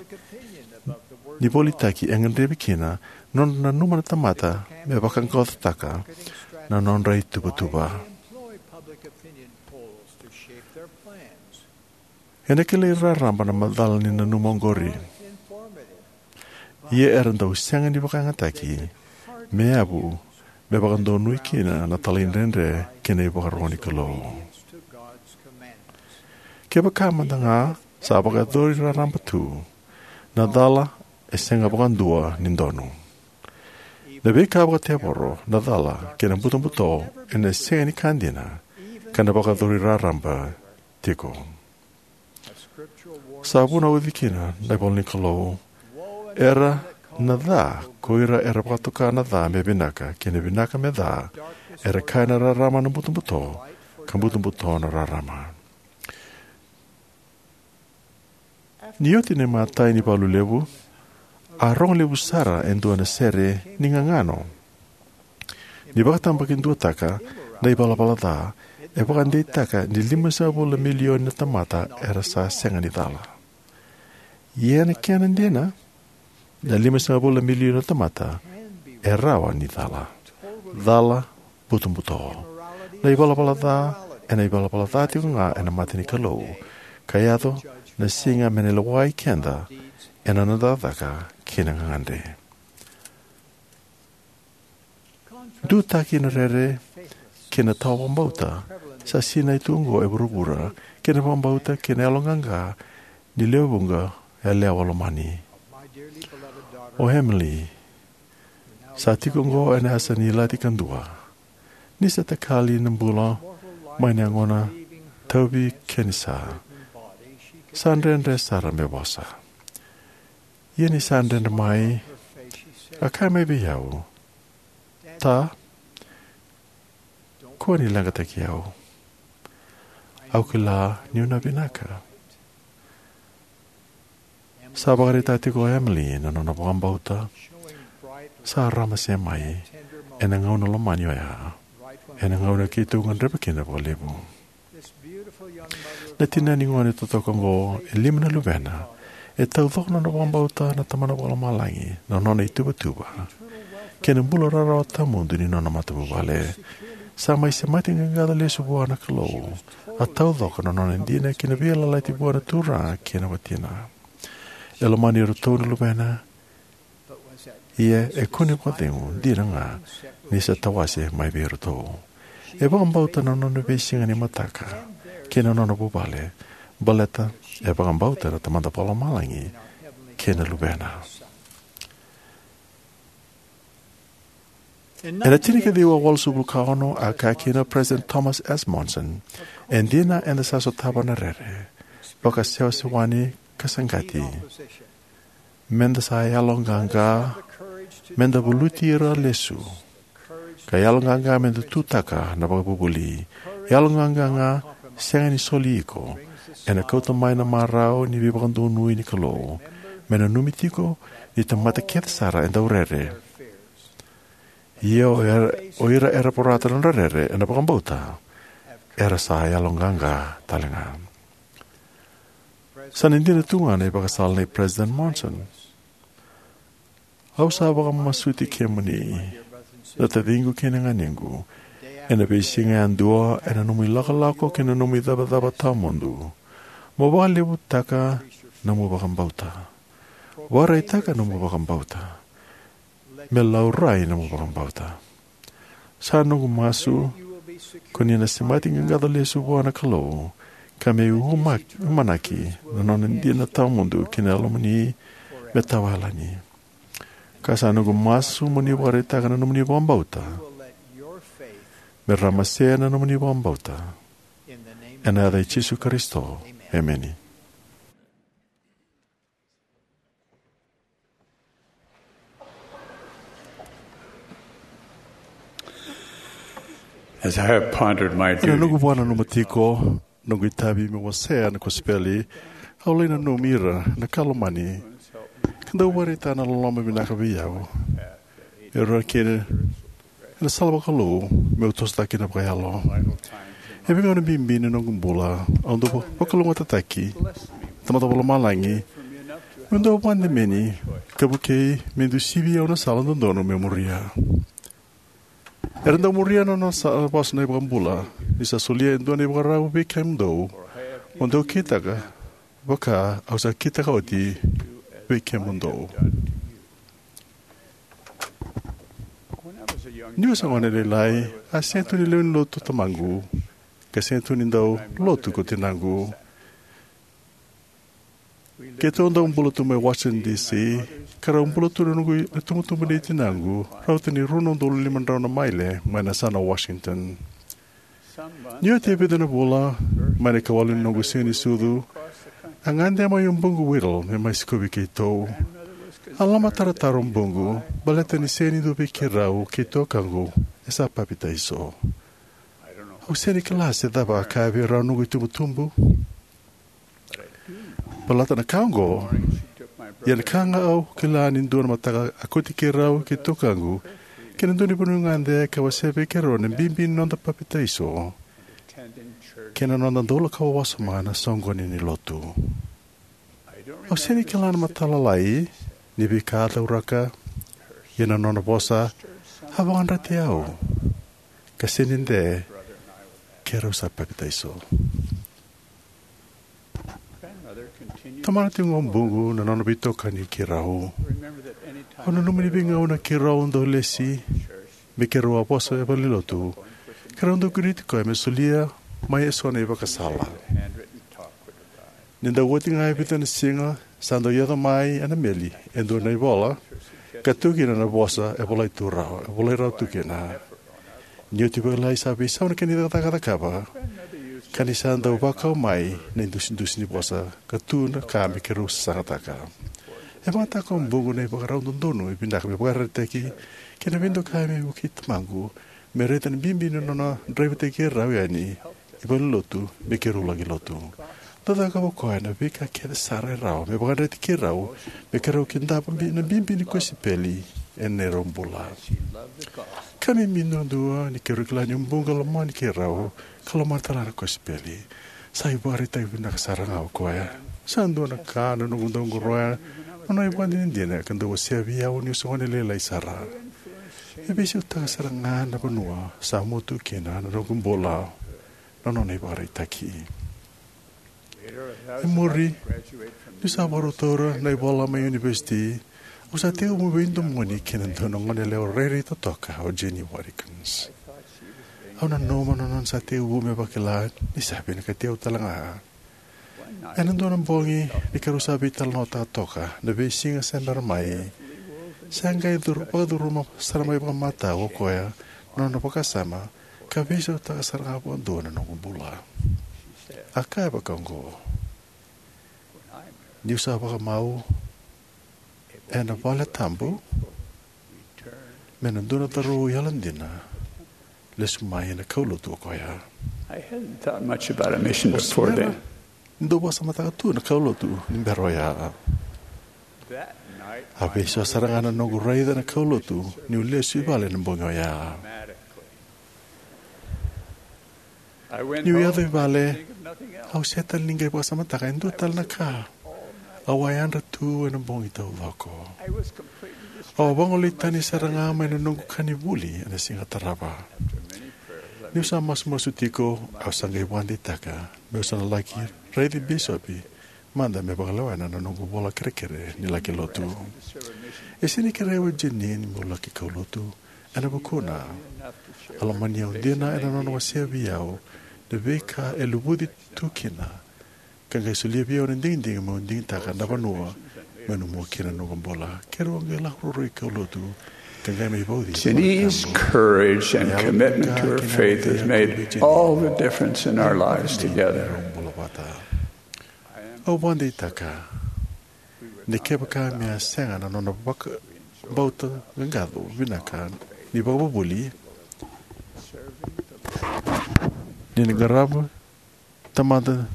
ni volitaki e gadrevi kina na nodra nanuma na tamata me vaqaqacotaka na nodra ituvatuva. Ena kilai raraba na macala ni nanuma oqori. Ia era dau sega ni vakayagataki me yavu me vakadonui kina na talaidredre kei na ivakaro ni Kalou. Kevaka mada ga sa vakayacori raraba tu, na cala e sega vakadua ni donu. Na veika vakatevoro, na cala kei na butobuto ena sega ni ka dina, ka na vakayacori raraba tiko. Sa vunauci kina na ivola ni Kalou, era na ca ko ira era vakatoka na ca me vinaka, kei na vinaka me ca, era kaya na rarama na butobuto, ka butobuto na rarama. Ni oti na imatai ni valu levu, a rogo levu sara e dua na sere ni gagano. Ni vakatabakiduataka na ivalavala ca, e vakadeitaka ni limasagavulu na milioni na tamata era sa sega ni cala. Ia na kena dina, na limasagavulu na milioni na tamata e rawa ni cala. Cala butobuto. Na ivalavala ca, ena ivalavala ca tiko ga ena mata ni Kalou, ka yaco na siga me na lewai keda ena noda cakacaka kei na gagadre. Dutaki na rere kei na tawa vakabauta sa sinai tu oqo e vuravura, kei na vakabauta kei na yaloqaqa ni lewe vuqa yalewa lomani. O Emily sa tiko oqo ena yasa ni Lati Kadua. Ni sa takali na bula mai na yagona tauvi kenisa, Sa dredre sara me vosa. Ia ni sa dredre mai, a kaya mai vei au, "Ta, kua ni leqataki au. Au kila niu na vinaka." Sa vakaraitaka tiko o Emily na nona vakabauta sa ramase mai ena gauna lomani oya, ena gauna keitou gadreva kina vakalevu. Na tinani gone totoka oqo e lima na luvena, e taucoko na nona vakabauta na Tamana Vakalomalagi, na nona ituvatuva, kei na bula rarawa tawamudu ni nona matavuvale. Sa mai semati qaqaco lesu vua na Kalou. A taucoko na nona dina ki na veiyalayalati vua na Turaga kei na watina. E lomani iratou na luvena, ia e kune vakacegu dina ga ni sa tawase mai vei iratou. E vakabauta na nona veisiga ni mataka kei na nona vuvale, baleta e vakabauta na Tamada Vakalomalagi kei na Luvena. Ena tinikaciwa walusagavulu ka ono, a kaya kina o President Thomas S. Monson, "E dina eda sa sotava na rere, vakasewasewani ka saqati. Meda sa yaloqaqa meda valuti ira lesu, ka yaloqaqa meda tutaka na vakavuvuli. Yaloqaqa ga sega ni soli iko, ena kauta mai na marau ni veivakadonui ni Kalou. Me nanumi tiko ni tamata kece sara e dau rere. Ia o ira, o ira era vorata na nodra rere ena vakabauta, era sa yaloqaqa tale ga." Sa na dina tu ga na ivakasala nei President Monson. Au sa vakamasuti kemuni, na taciqu kei na ganequ, ena veisiga yadua, ena nomu ilakolako kei na nomu icavacava tawamudu, mo vakalevutaka nomu vakabauta. Vakaraitaka nomu vakabauta. Me laurai nomu vakabauta. Sa noqu masu ko ni na semati qaqaco lesu vua na Kalou, ka me uma-, umanaki na nona dina tawamudu ki na yalomuni me tawayalani. Ka sa noqu masu mo ni vakaraitaka na nomuni vakabauta, me ramase na nomuni vakabauta. Ena yaca i Jisu Karisito, emeni. As I have pondered my duty, ena noqu vakananuma tiko noqu itavi meu wasea na kosipeli, au lai nanumi ira na ka lomani ka dau vakaraitaka na loloma vinaka vei au, me rawa kina ena sala vakalou meu tosotaka kina vakayalo. E veigauna bibi ni noqu bula au dau vakalougatataki na Tamada Vakalomalagi meu dau vakademeni ka vukei me dau sivi au na sala dodonu meu muria. Era dau muria na nona sa-, vosa na iVakabula, ni sa solia e dua na ivakarau vei kemudou, mo dou kitaka vaka au sa kitaka oti vei kemudou. Niu se gone lailai, a sega tu ni lewe ni lotu tamaqu, ka sega tu ni dau lotu ko tinaqu. Keitou dau bula tu mai Washington D C, ka rau bula tu na noqu, na tubutubu nei tinaqu, rauta ni rua na udolu lima drau na maile mai na yasana Washington. Ni oti e vica na vula, mai na ikawalu ni noqu siga ni sucu, a gade mai o buqu Whittle me mai sikovi keitou. A lomatarotaro o buqu, baleta ni sega ni dua vei keirau kei tukaqu e sa papitaiso. Au sega ni kila se cava a kaya vei rau noqu itubutubu. Baleta na ka oqo, ia na ka ga au kila ni dua na mataka a kauti keirau kei tukaqu ki na dua ni vanua gade ka wasea vei keirau na bibi ni noda papitaiso kei na noda dau lako wasoma na soqoni ni lotu. Au sega ni kila na matata lailai ni veika a cauraka, ia na nona vosa a vakayadrati au, ka sega ni dede, keirau sa papitaiso. Tomana tiko ga o buqu na nona veitokani keirau. Au nanuma ni veigauna keirau dau lesi me keirau a vosa e valenilotu, keirau dau kerei koya me solia mai eso na ivakasala. Ni dau oti ga e vica na siga, sa dau yaco mai ena meli e dua na ivola ka tu kina na vosa e volai tu rawa, e volai rawa tu kina. Ni oti vakalailai sa veisau na kena icakacaka e cakava. ka ni sa dau vakau mai na idusidusi ni vosa ka tu na ka me keirau sasagataka. E vakayagataka o Bugu na ivakarau dodonu e vinaka me vakaraitaki kei na veidokai me vukei tamaqu me raica na bibi ni nona draivataki keirau yani i valenilotu me keirau laki lotu. Dau cakava o koya na veika kece sara e rawa me vakadreti keirau me keirau kidava bi- na bibi ni kosipeli ena neirau bula. Ka me bibi duadua ni keirau kila ni o Bugu e lomani keirau ka lomani talega na kosipeli. Sa ivakaraitaki vinaka sara ga o koya. Sa dua na ka na noqu dau qoroya na nona ivakadinadina ka dau wasea vei au niu se gone lailai sara. E veisautaka sara ga na vanua sa mua tu kina na noqu bula na nona ivakaraitaki. E muri, niu sa vakarau taura na ivola mai univesiti, au sa tekivu veidomoni kei na dua na goneyalewa rairai totoka, o Jenny Watkins. Au nanuma na nona sa tekivu me vakila ni sa vinakati au talega. Ena dua na bogi, ni keirau sa veitalanoataka toka na veisiga se bera mai, sa qai curu- vakacuruma sara mai vakamatau o koya na nona vakasama, ka veisautaka sara ga vakadua na noqu bula. A kaya vakaoqo: "Niu sa vakamau ena vale tabu, me na dua na cauravou yalodina lesu mai ena kaulotu o koya." I hadn't thought much about a mission before then. Dau vakasamataka tu na kaulotu ni bera oya. A veisau sara ga na noqu raica na kaulotu niu lesu i vale na bogi oya. Niu yaco i vale, au sega tale ni qai vakasamataka e dua tale na ka. Au a yadra tu ena bogi taucoko. Au a vagolei tani sara ga mai na noqu ka ni vuli ena siga tarava. Niu sa masumasu tiko, au sa qai vakadeitaka meu sa na laki raici bisopi mada me vakalewena na noqu vola kerekere ni laki lotu. E sega ni kerei au o Jeanene meu laki kaulotu ena vukuna. A lomani au dina ena nona wasea vei au na veika e luvuci tu kina, ka qai solia vei au na digidigi meu digitaka na vanua meu na mua kina na noqu bula. Keirau a qai lako ruarua i kaulotu ka qai mai vauci. Jeanene's courage and commitment to her faith has made all the difference in our lives together. Au vakadeitaka ni kevaka me a sega na nona vakabauta qaqaco vinaka ni vakavuvuli, ni na qarava tamata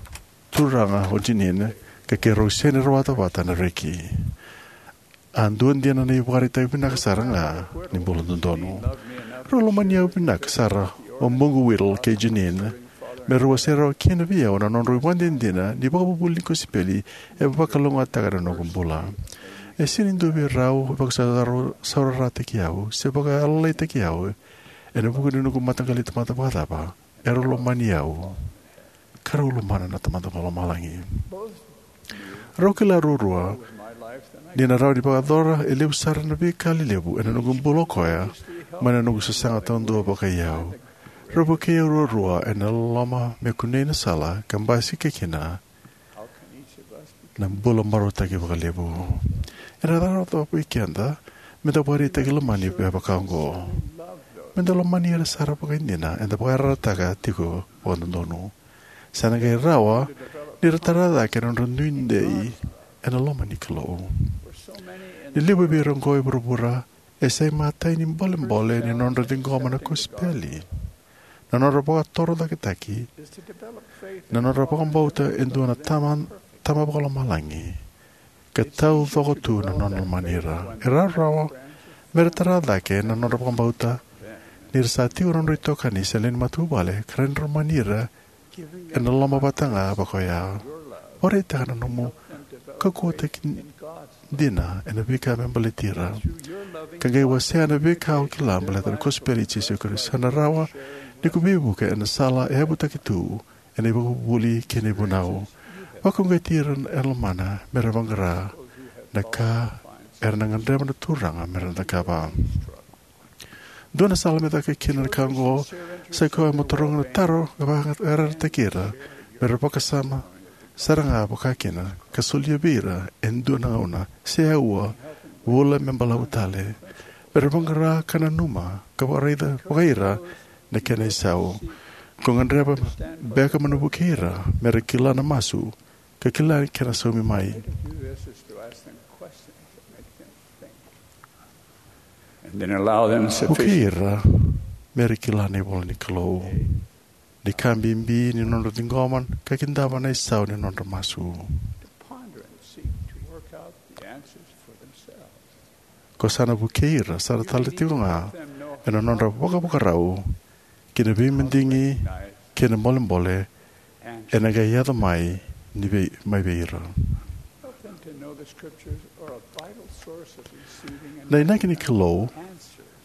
turaga o Jeanene, ka keirau sega ni rawata vata na reki. A dua dina na ivakaraitaki vinaka sara ga ni bula dodonu. Rau lomani au vinaka sara o Bugu Whittle kei Jeanene me rau wasea rawa kina vei au na nodrau ivakadinadina ni vakavuvuli ni kosipeli e vakalougatataka na noqu bula. E sega ni dua vei rau e vakasaurarataki au se vakayalolaitaki au ena vuku ni noqu mataqali tamata vakacava. Erau lomani au, ka rau lomana na Tamada Vakalomalagi. Rau kila ruarua ni na rawa ni vakayacora e levu sara na veika lelevu ena noqu bula o koya mai na noqu sasaga taudua vakaiyau. Rau vukei au ruarua ena loloma me kunei na sala ka basika kina na bula marautaki vakalevu. Ena cava vei keda me da vakaraitaki lomani me vaka oqo? Me da lomani ira sara vakaidina eda vakayarayarataka tiko vakadodonu. Sa na qai rawa ni ra tara cake na nodra nuidei ena loma ni Kalou. Ni levu vei ira oqo e vuravura e sa imatai ni bolebole ni nodra ciqoma na kosipeli. Na nodra vakatorocaketaki, na nodra vakabauta e dua na tama, tama vakalomalagi, ka taucoko tu na nona lomani ira. E rawarawa me ra tara cake na nodra vakabauta ni ra sa tiko na nodra itokani se lewe ni matavuvale ka rawa ni ra lomani ira ena loma vata ga vaka oya. Vakaraitaka na nomu kaukauwataki dina ena veika me baleti ira, ka qai wasea na veika o kila baleta na kosipeli i Jisu Karisito. Sa na rawa ni ko veivuke ena sala e yavutaki tu ena ivakavuvuli kei na ivunau. Vakauqeti ira e lomana me ra vaqara na ka era na gadreva na Turaga me ra cakava. Dua na sala me caka kina na ka oqo sai koya mo taroga na taro ka vakayarayarataki ira me ra vakasama sara ga vakakina ka solia vei ira e dua na gauna se aua, vula me balavu tale, me ra vaqara ka nanuma ka vakaraica vakaira na kena isau. Ko gadreva beka mo na vukei ira me ra kila na masu ka kila na kena saumi mai. Vukei ira me ra kila na ivola ni Kalou, ni ka bibi ni nodra ciqoma ka kidava na isau ni nodra masu. Ko sa na vukei ira sara tale tiko ga ena nodra vakavakarau ki na veimadigi kei na bolebole ena qai yaco mai ni vei, mai vei ira. Na inaki ni Kalou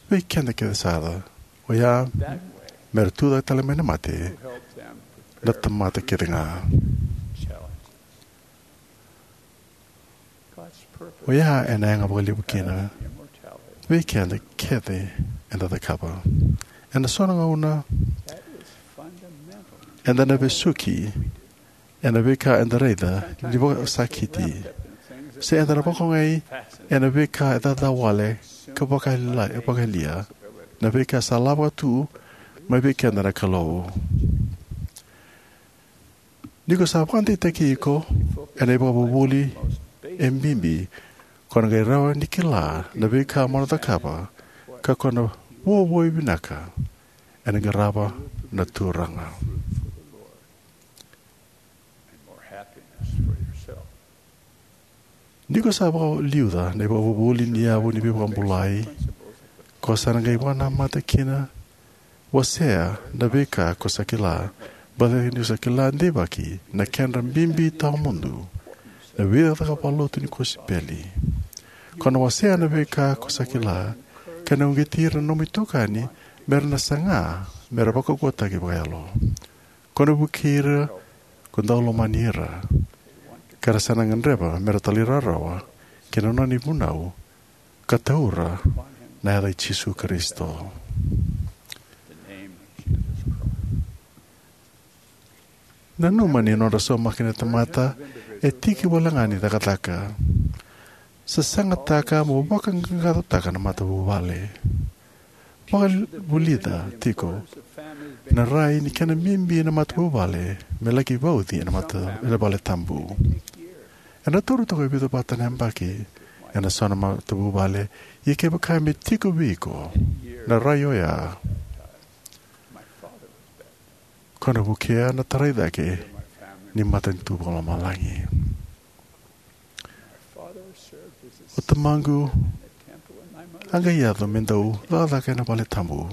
vei keda kece sara, oya me ra tucake tale mai na mate na tamata kece ga. Oya ena yaga vakalevu kina vei keda kece eda cakava. Ena so na gauna eda na vesuki ena veika eda raica ni vakasakiti, se eda na vakaogai ena veika e caca wale ka vakayalia, vakayalia na veika sa lako tu mai vei keda na Kalou. Ni ko sa vakadeitaki iko ena ivakavuvuli e bibi, ko na qai rawa ni kila na veika mo na cakava ka ko na vuavuai vinaka ena qarava na Turaga. Ni ko sa vakaliuca na ivakavuvuli ni yavu ni veivakabulai, ko sa na qai vakanamata kina, wasea na veika ko sa kila, baleta ni ko sa kila deivaki na kedra bibi tawamudu na veicakacaka vakalotu ni kosipeli. Ko na wasea na veika ko sa kila, ka na uqeti ira na nomu itokani me ra na saga me ra vakaukauwataki vakayalo. Ko na vukei ira ko dau lomani ira, ka ra sa na gadreva me ra talairawarawa ki na nona ivunau ka taura na yaca i Jisu Karisito. Nanuma ni nodra saumaki na tamata e tiki wale ga ni cakacaka. Sasagataka mo vakaqaqacotaka na matavuvale. Vakavulica tiko na rai ni kena bibi na matavuvale me laki vauci ena mata, ena vale tabu. Ena taura toka e vica vata na yabaki ena so na matavuvale, ia kevaka me tiko vei iko na rai oya, ko na vukea na tarai cake ni matanitu vakalomalagi. O tamaqu a qai yaco me dau cakacaka ena vale tabu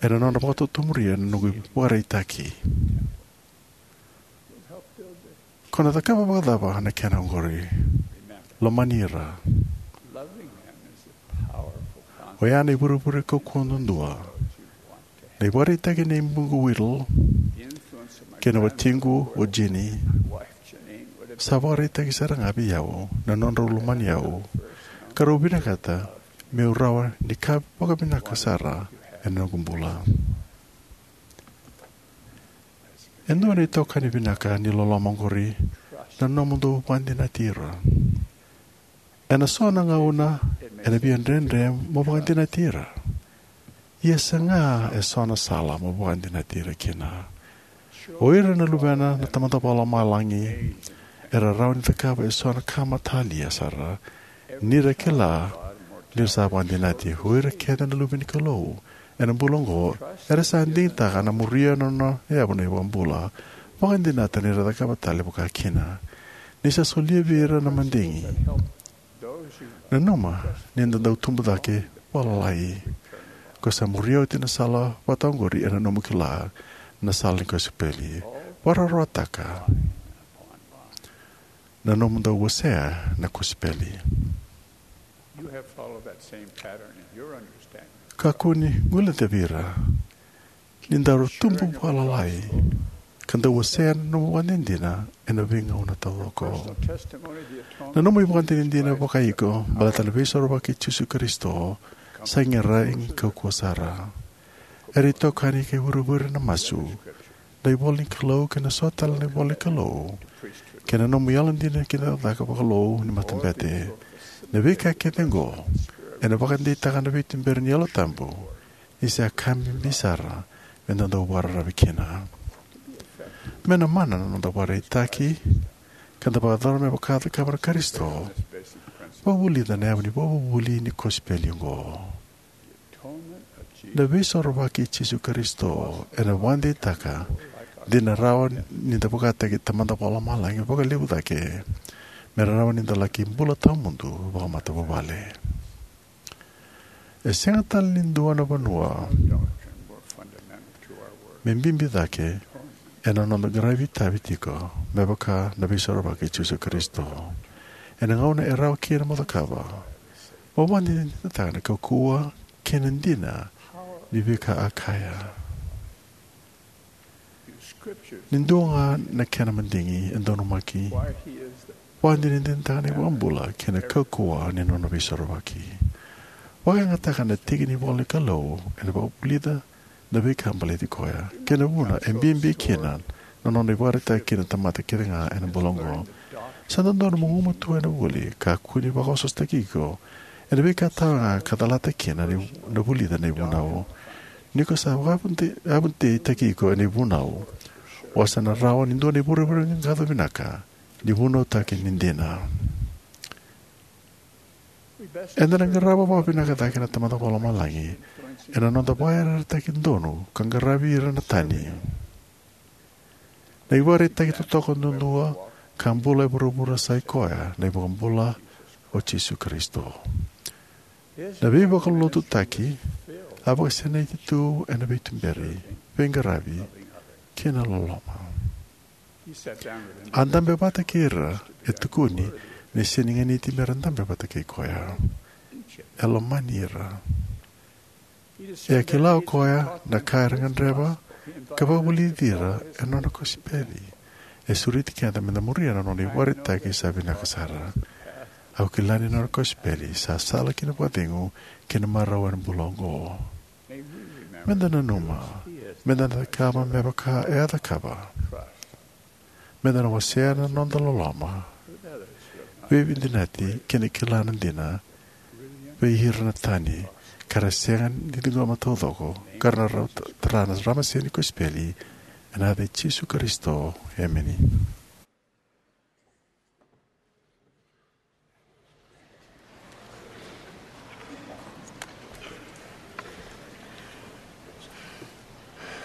ena nona vakatotomuria na noqu ivakaraitaki. Ko na cakava vakacava na kena oqori? Lomani ira. Oya na ivurevure kaukauwa duadua. Na ivakaraitaki nei buqu Whittle kei na watiqu o Jeannie sa vakaraitaki sara ga vei au na nodrau lomani au, ka rau vinakata meu rawa ni ka vakavinaka sara ena noqu bula. E dua na itokani vinaka ni loloma oqori na nomudou vakadinati ira. Ena so na gauna ena via dredre mo vakadinati ira. Ia saga e so na sala mo vakadinati ira kina. O ira na luvena na Tamada Vakalomalagi era rawa ni cakava e so na ka matalia sara ni ra kila ni ra sa vakadinati. O ira kece na luve ni Kalou ena bula oqo era sa digitaka na muria na nona yavu na iVakabula. Vakadinata ni ra cakava tale vakakina. Ni sa solia vei ira na madigi. Nanuma ni da dau tubu cake vakalalai. Ko sa muria oti na sala vata oqori ena nomu kila na sala ni kosipeli. Vakarautaka na nomu dau wasea na kosipeli. Kakua ni guilecavi ira ni daru tubu vakalalai ka dau wasea na nomu ivakadinadina ena veigauna taucoko. Na nomu ivakadinadina vakaiko baleta na veisorovaki i Jisu Karisito sa qai rai kaukauwa sara. Era itokani kei vuravura na masu, na ivola ni Kalou kei na so tale na ivola ni Kalou, kei na nomu yalodina kei na cakacaka vakalou ni matabete. Na veika kece oqo ena vakadeitaka na veituberi ni Yalo Tabu ni sa ka bibi sara me da dau vakararavi kina. Me na mana na noda vakaraitaki ka da vakayacora me vaka a cakava na Karisito. Vakavulica na yavu ni vakavuvuli ni kosipeli oqo. Na Veisorovaki i Jisu Karisito ena vakadeitaka ni na rawa ni da vakataki Tamada Vakalomalagi vakalevu cake me rawa ni da laki bula tawamudu vakamatavuvale. E sega tale ni dua na vanua me bibi cake ena noda qaravi itavi tiko me vaka na Veisorovaki i Jisu Karisito. Ena gauna e rawa kina mo cakava, mo vakadinadinataka na kaukauwa kei na dina ni veika a kaya. Ni dua ga na kena madigi e donumaki, vakadinadinataka na iVakabula kei na kaukauwa ni nona Veisorovaki. Vakayagataka na tiki ni ivola ni Kalou ena vakavulica na veika baleti koya kei na vuna e bibi kina na nona ivakaraitaki kina na tamata kece ga ena bula oqo. Sa dodonu mo gumatua ena vuli, kakua ni vakaosoosotaki iko ena veika tawaga ka calata kina na vulica na ivunau. Ni ko sa vakayavuteitaki iko ena ivunau, o sa na rawa ni dua na ivurevure ni qaqaco vinaka ni vunautaki ni dina. Eda na qarava vakavinaka cake na Tamada Vakalomalagi ena noda vakayarayarataki donu ka qaravi ira na tani. Na ivakaraitaki totoka duadua ka bula e vuravura sa i koya na iVakabula o Jisu Karisito. Na veivakalotutaki a vakasinaiti tu ena veituberi, veiqaravi, kei na loloma. A dabe vata kei ira e tukuni ni sega ni ganiti me ra dabe vata kei koya. E lomani ira. E a kila o koya na ka era gadreva ka vakavulici ira ena nona kosipeli. E sureti keda me da muria na nona ivakaraitaki sa vinaka sara. Au kila ni nona kosipeli sa sala ki na vakacegu kei na marau ena bula oqo. Me da nanuma me da na cakava me vaka e a cakava. Me da na wasea na noda loloma, veivakadinati kei na kila na dina vei ira na tani ka ra sega ni ciqoma taucoko, ka ra na tara na ramase ni kosipeli. Ena yaca i Jisu Karisito, emeni.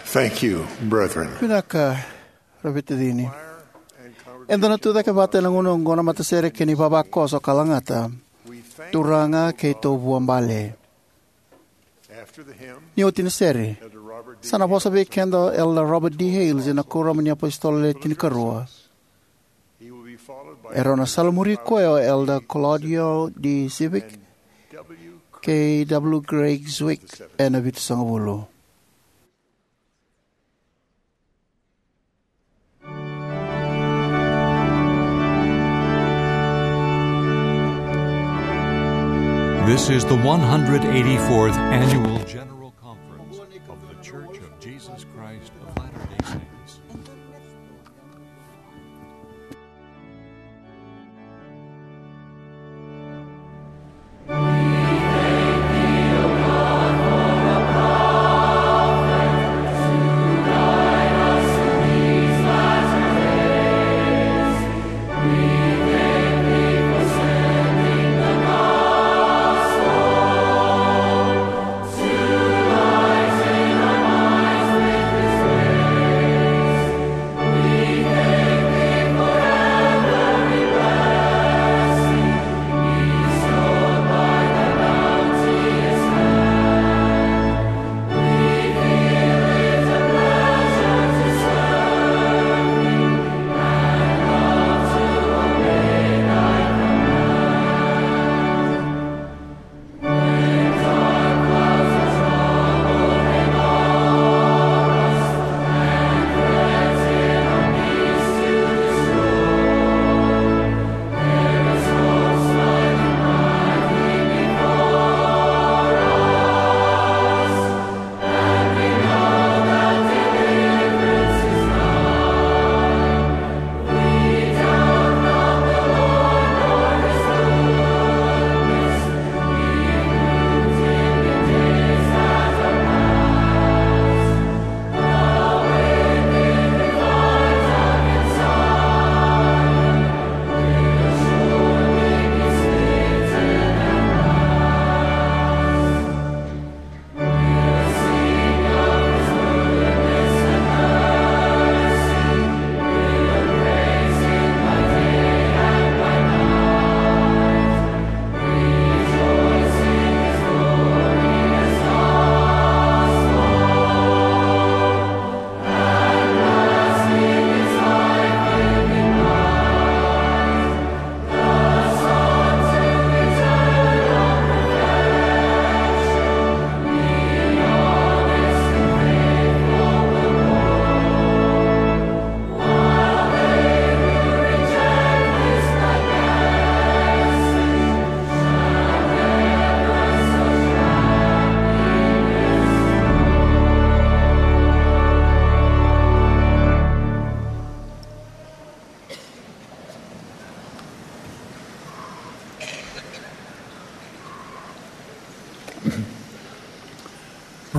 Thank you, brethren. Vinaka, ra veitacini. Eda na tucake vata ena gauna oqo na matasere kei na ivavakoso ka lagata, Turaga keitou vuabale. Ni oti na sere, sa na vosa vei keda o Elder Robert D. Hales ena Kuoramu ni iApositolo Le Tinikarua. Erau na salamuri koya o Elder Claudio D. Sivek kei W. Craig Zwick ena vitusagavulu. This is the one hundred eighty-fourth Annual General Conference of The Church of Jesus Christ of Latter-day Saints.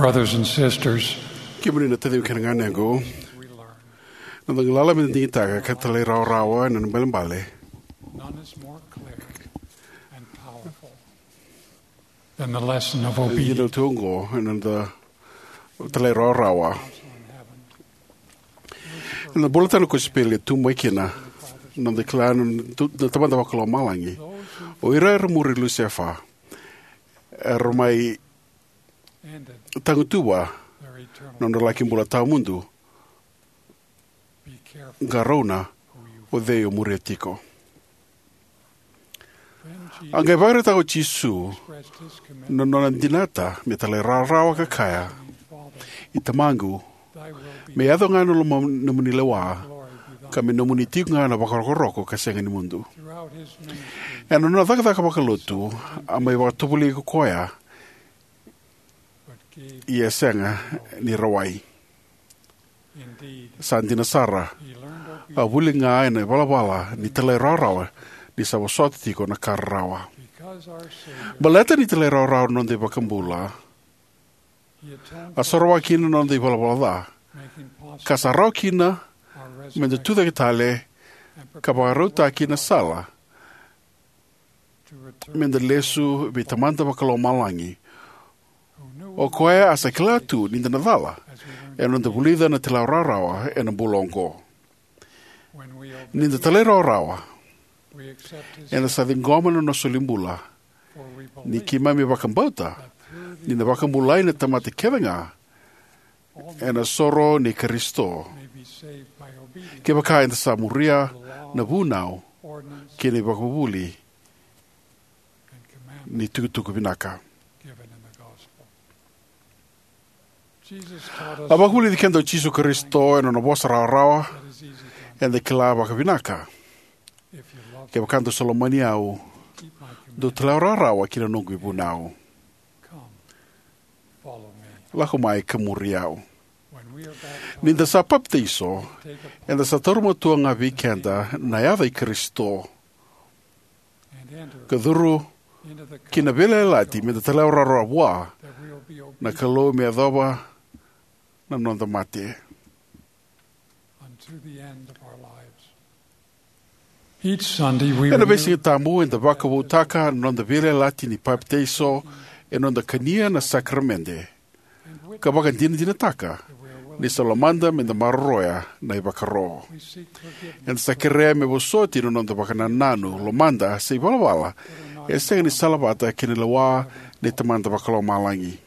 Brothers and sisters, kemuni na taciqu kei na ganequ, na noda galala me da digitaka ka talairawarawa ena ibalebale. None is more clear and powerful than the lesson of obedience. Dina tu oqo ena noda talairawarawa. Ena bula tale na kosipeli e tu mai kina na noda kila na Tamada Vakalomalagi. O ira era muri Lusefa era mai tagutuva na nodra laki bula tawamudu. Qarauna o cei o muria tiko. A qai vakaraitaka o Jisu na nona dinata me talairawarawa ka kaya, "I Tamaqu, me yaco ga na loma, nomuni lewa, ka me nomuni tiko ga na vakarokoroko ka sega ni mudu." Ena nona cakacaka vakalotu, a mai vakatovolei ko koya, ia e sega ni rawai. Sa dina sara, a vuli ga ena ivalavala ni talairawarawa ni sa vosota tiko na ka rarawa. Baleta ni talairawarawa na noda iVakabula, a soroka kina na noda ivalavala ca, ka sa rawa kina me da tucake tale ka vakarautaki na sala me da lesu vei Tamada Vakalomalagi, o koya a sa kila tu ni da na cala ena noda vulica na talairawarawa ena bula oqo. Ni da talairawarawa, eda sa ciqoma na nona solibula, ni keimami vakabauta ni na vakabulai na tamata kece ga ena soro nei Karisito, kevaka eda sa muria na vunau kei na ivakavuvuli ni tukutuku vinaka. A vakavulici keda o Jisu Karisito ena nona vosa rawarawa eda kila vakavinaka: "Kevaka dou sa lomani au, dou talairawarawa ki na noqu ivunau. Lako mai ka muri au." Ni da sa papitaiso, eda sa taura matua ga vei keda na yaca i Karisito, ka curu ki na veiyalayalati me da talairawarawa vua na Kalou me yacova na noda mate. Ena veisigatabu eda vakavoutaka na noda veiyalayalati ni papitaiso ena noda kania na sakaramede ka vakadinadinataka ni sa lomada me da maroroya na ivakaro. Eda sa kerea me vosoti na noda vakanananu, lomada, se ivalavala e sega ni salavata kei na lewa ni Tamada Vakalomalagi,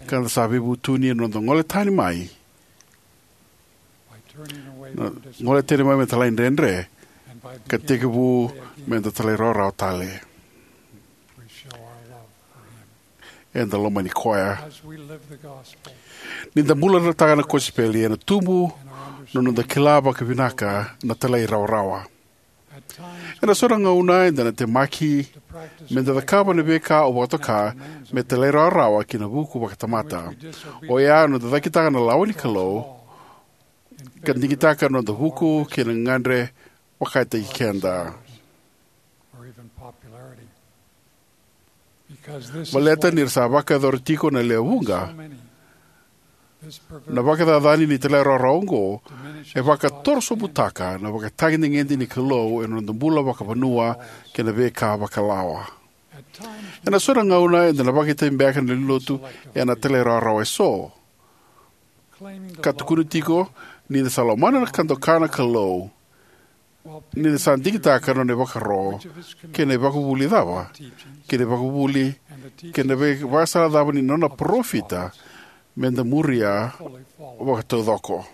ka da sa veivutuni ena noda gole tani mai, na gole tani mai me da talaidredre, ka tekivu me da talairawarawa tale. Eda lomani koya. Ni da bulataka na kosipeli, ena tubu na noda kila vakavinaka na talairawarawa. Ena so na gauna eda na temaki me da cakava na veika au vakatoka me talairawarawa ki na vuku vakatamata, oya na noda cakitaka na lawa ni Kalou ka digitaka na noda vuku kei na gagadre vakataki keda. Baleta ni ra sa vakayacora tiko na lewe vuqa, na vakacacani ni talairawarawa oqo e vakatorosobutaka na ivakatagedegede ni Kalou ena noda bula vakavanua kei na veika vakalawa. Ena so na gauna eda na vakaitavi beka na lewenilotu ena talairawarawa eso, ka tukuna tiko ni da sa lomana ka doka na Kalou, ni da sa digitaka na nona ivakaro kei na ivakavuvuli cava, kei na ivakavuvuli kei na veivakasala cava ni nona parofita me da muria vakataucoko.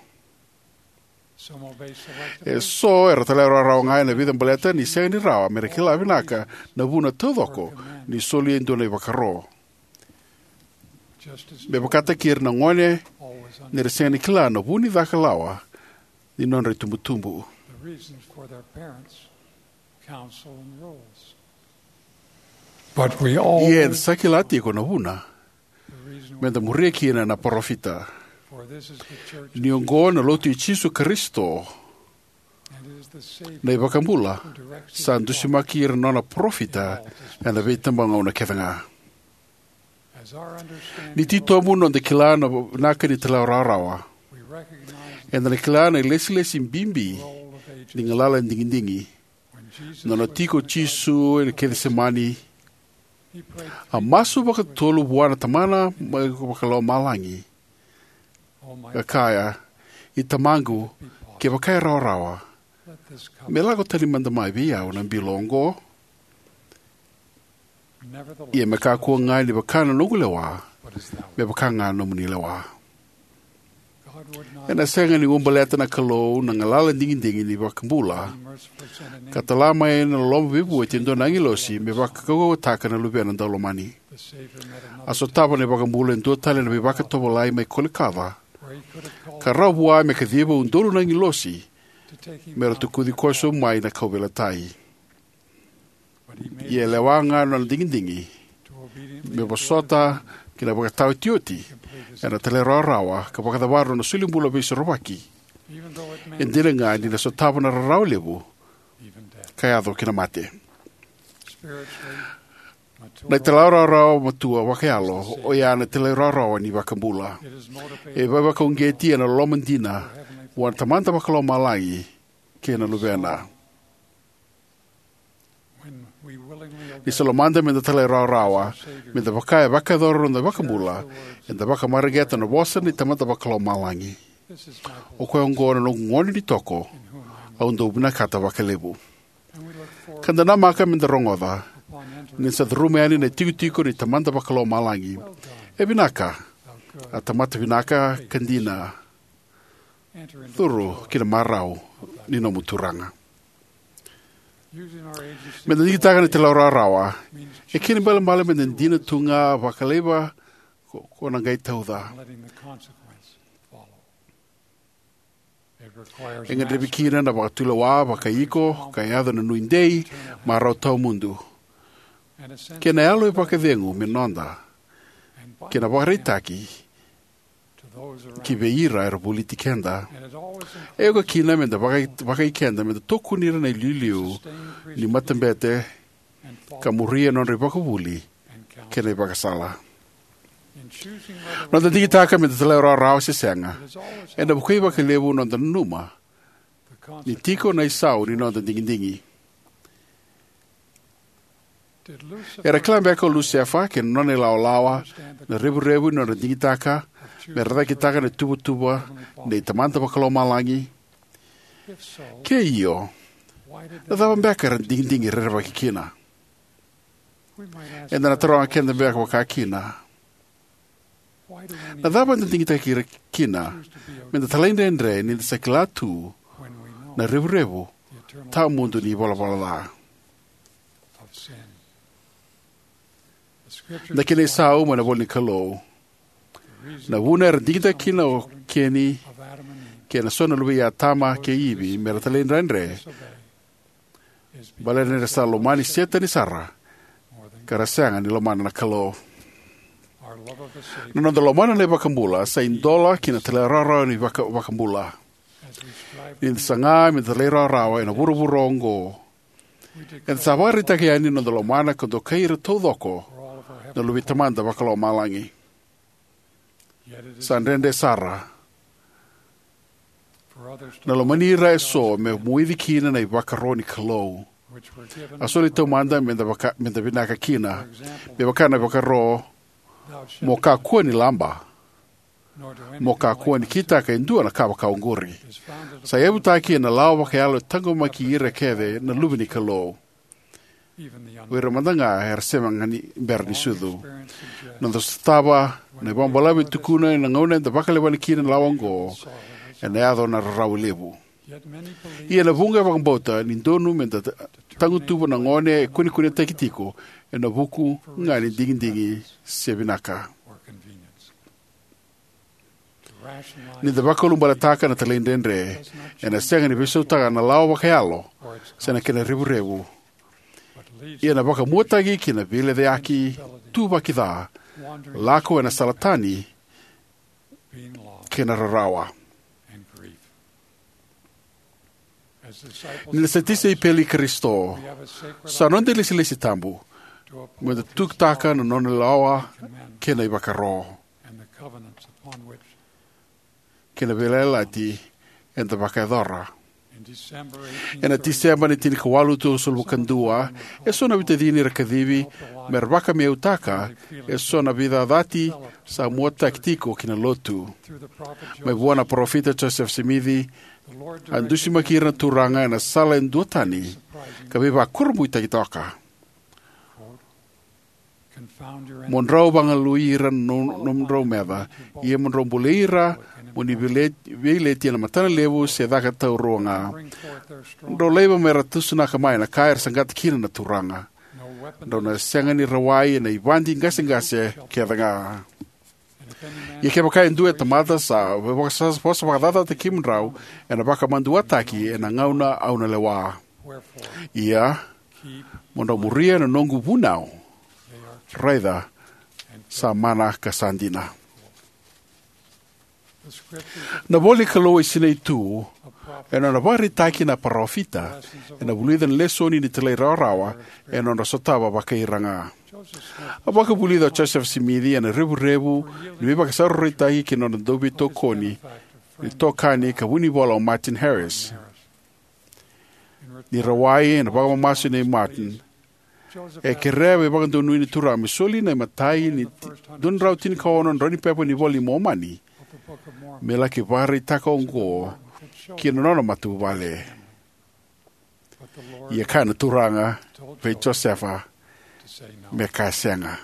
Eso era talairawarawa ga ena vica baleta ni sega ni rawa me ra kila vinaka na vuna taucoko ni soli e dua na ivakaro, me vakataki ira na gone ni ra sega ni kila na vu ni caka lawa ni nodra itubutubu. Ia eda sa kila tiko na vuna me da muria kina na parofita. Ni oqo na Lotu i Jisu Karisito, na iVakabula sa dusimaki ira na nona parofita ena veitabagauna kece ga. Ni titobu noda kila na vinaka ni talairawarawa, eda na kila na ilesilesi bibi ni galala ni digidigi. Nona tiko o Jisu e Kecisemani, a masu vakatolu vua na Tamana mai vakalomalagi, ka kaya, "I Tamaqu, kevaka e rawarawa, me lako tani mada mai vei au na bilo oqo. Ia me kakua ga ni vaka na noqu lewa, me vaka ga na nomuni lewa." Ena sega ni uabaleta na Kalou na galala digidigi ni iVakabula ka tala mai ena loloma veivueti e dua na agilosi me vakaukauwataka na Luvena daulomani. A sotava na iVakabula e dua tale na veivakatovolei mai Kolikoca, ka rawa vua me kaciva e udolu na agilosi me ra tukuci koso mai na kauveilatai. Ia e lewa ga na nona digidigi me vosota ki na ivakataotioti ena talairawarawa ka vakacavara na nona solibula veisorovaki, e dina ga ni na sotava na rarawa levu ka yaco ki na mate. Na italairawarawa matua vakayalo oya na italairawarawa ni iVakabula. E veivakauqeti ena loloma dina vua na Tamada vakalomalagi kei na Luvena. Ni sa lomada meda talairawarawa, meda vaka e vakayacora na noda iVakabula, eda vakamareqeta na vosa ni Tamada vakalomalagi: "O koya oqo na noqu gone ni toko, au dau vinakata vakalevu." Ka da namaka meda rogoca ni sa curuma yani na itikotiko ni Tamada vakalomalagi: "E vinaka, a tamata vinaka ka dina. Curu ki na marau ni nomu Turaga." Meda digitaka na italairawarawa e kena ibalebale meda dina tu ga vakalevu ko, ko na qai tauca. E gadrevi kina na vakatulewa vakaiko ka yaco na nuidei, marau tawamudu, kei na yalo e vakacegu me noda, kei na vakaraitaki ki vei ira era voliti keda. E oka kina meda vakai, vakai keda meda tokoni ira na iliuliu ni matabete ka muria na nodra ivakavuvuli kei na ivakasala. Noda digitaka meda talairawarawa se sega, ena vukei vakalevu noda nanuma ni tiko na isau ni noda digidigi. Era kila beka o Lusefa kei na nona ilawalawa na revurevu ni nodra digitaka mera cakitaka na ituvatuva nei Tamada vakalomalagi? Ke io, na cava beka era digidigi rerevaki kina? Eda na taroga keda beka vakakina, na cava eda digitaki ira kina meda talaidredre ni da sa kila tu na revurevu tawamudu ni ivalavala ca? Na kena isau mai na ivola ni Kalou, na vuna era digitaki kina o Keni kei na so na luve i Atama kei Ivi mera talaidredre, baleta ni ra sa lomani Setani sara ka ra sega ni lomana na Kalou. Na noda lomana na iVakabula sa idola ki na talairawarawa ni vaka, vakabula. Ni da saga meda talairawarawa ena vuravura oqo, eda sa vakaraitaka yani na noda lomana ka dokai ira taucoko na luve i Tamada vakalomalagi. Sa dredre sara, na lomani ira eso me moici kina na ivakaro ni Kalou, a soli taumada meda vaka, meda vinaka kina. Me vaka na ivakaro: "Mo kakua ni laba, mo kakua ni kitaka e dua na ka vakaoqori," sa yavutaki ena lawa vakayalo e taqomaki ira kece na luve ni Kalou, o ira mada ga era sega ni bera ni sucu. Noda sotava na ivakabalavu e tukuna ena gauna eda vakalewena kina na lawa oqo, ena yaco na rarawa levu. Ia na vuqa e vakabauta ni donu meda ta, tagutuva na gone e kunekunetaki tiko ena vuku ga ni digidigi se vinaka. Ni da vakaulubaletaka na talaidredre, ena sega ni veisautaka na lawa vakayalo se na kena revurevu. Ia na vakamuataki ki na veilecayaki, tuvaki ca, lako ena sala tani, kei na rarawa. Ni na sa tisaipeli i Karisito, sa noda ilesilesi tabu me da tukutaka na nona lawa kei na ivakaro kei na veiyalayalati eda vakayacora. Ena Tiseba ni tinikawalu, tolusagavulu ka dua, eso na veitacini era kacivi me ra vakameautaka eso na veicacati sa muataki tiko ki na Lotu. Mai vua na Parofita Josefa Simici, a dusimaki ira na Turaga ena sala e duatani ka veivakurabuitaki toka: Mo drau vagalui ira na nomudrau meca, ia mo drau bolei ira mo ni veileti ena matana levu se caka taurua ga. Drau laiva me ra tusanaka mai na ka era saqata kina na Turaga. Drau na sega ni rawai ena ivadi qaseqase kecega. Ia kevaka e dua e tamata sa vosavakacacataki kemudrau, ena vakamaduataki ena gauna au na lewa. Ia mo drau muria na noqu vunau, raica sa mana ka sa dina. Na ivolanikalou e sinai tu ena nona ivakaraitaki na parofita ena vulica na lesoni ni talairawarawa ena nodra sotava vakai ira ga. A vakavulica o Josefa Simici ena revurevu ni veivakasarautaki ki na nona dauveitokani, itokani ka vunivola o Martin Harris. Ni rawai ena vakamamasu nei Martin, e kerea na veivakadonui ni Turaga me soli na imatai ni dua na drau tinikaono na drau ni pepa ni iVola i Momani me laki vakaraitaka oqo ki na nona matavuvale. Ia kaya na Turaga vei Josefa me kaya sega.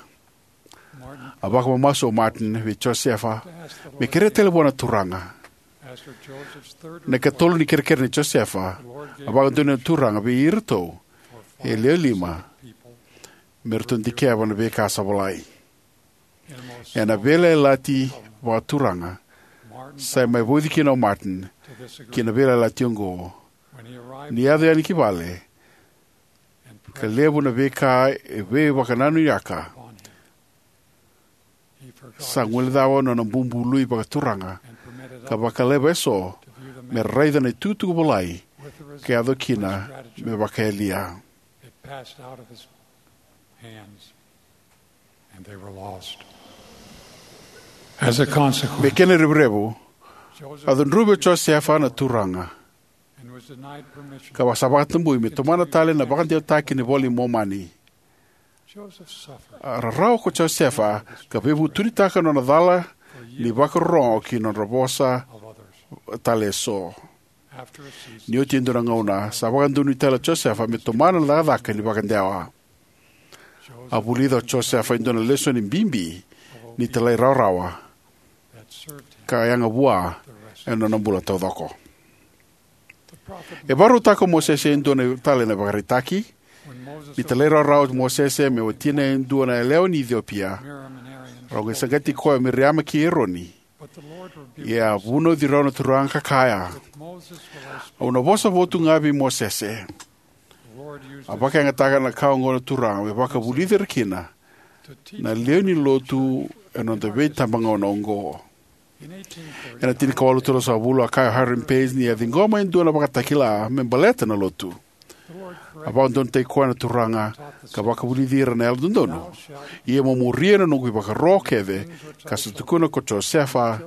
A vakamamasu o Martin vei Josefa me kerea tale vua na Turaga. Na ikatolu ni kerekere nei Josefa, a vakadonui na Turaga vei iratou e lewe lima me ratou dikeva na veika sa volai. Ena veiyalayalati vakaturaga, sa mai vauci kina o Martin ki na veiyalayalati oqo ni yaco yani ki vale ka levu na veika e veivakananuyaka. Sa guilecava na nona bubului vakaturaga ka vakalevu eso me raica na itukutuku volai ka yaco kina me vakayalia. Me kena revurevu, a cudruvi o Josefa na Turaga ka sa vakatabui me tomana tale na vakadewataki ni iVola i Momani. A rarawa ko Josefa ka veivutunitaka na nona cala ni vakarorogo ki na nodra vosa tale eso. Ni oti e dua na gauna, sa vakadonui tale o Josefa me tomana na cakacaka ni vakadewa. A vulica o Josefa e dua na lesoni bibi ni talairawarawa ka yaga vua ena nona bula taucoko. E vakarautaka o Mosese e dua tale na ivakaraitaki. Ni talairawarawa o Mosese me watina e dua na yalewa ni Iciopia, rau qai saqati koya o Miriama kei Eroni. Ia a vunauci rau na Turaga ka kaya: Au na vosa votu ga vei Mosese. A vakayagataka na ka oqo na Turaga me vakavulici ira kina na lewe ni Lotu ena noda veitabagauna oqo. Ena tinikawalu tolusagavulu, a kaya o Hiram Page ni a ciqoma e dua na ivakatakila me baleta na Lotu. A vakadodonutaki koya na Turaga ka vakavulici ira na Yalododonu: Ia mo muria na noqu ivakaro kece ka sa tukuna ko Josefa,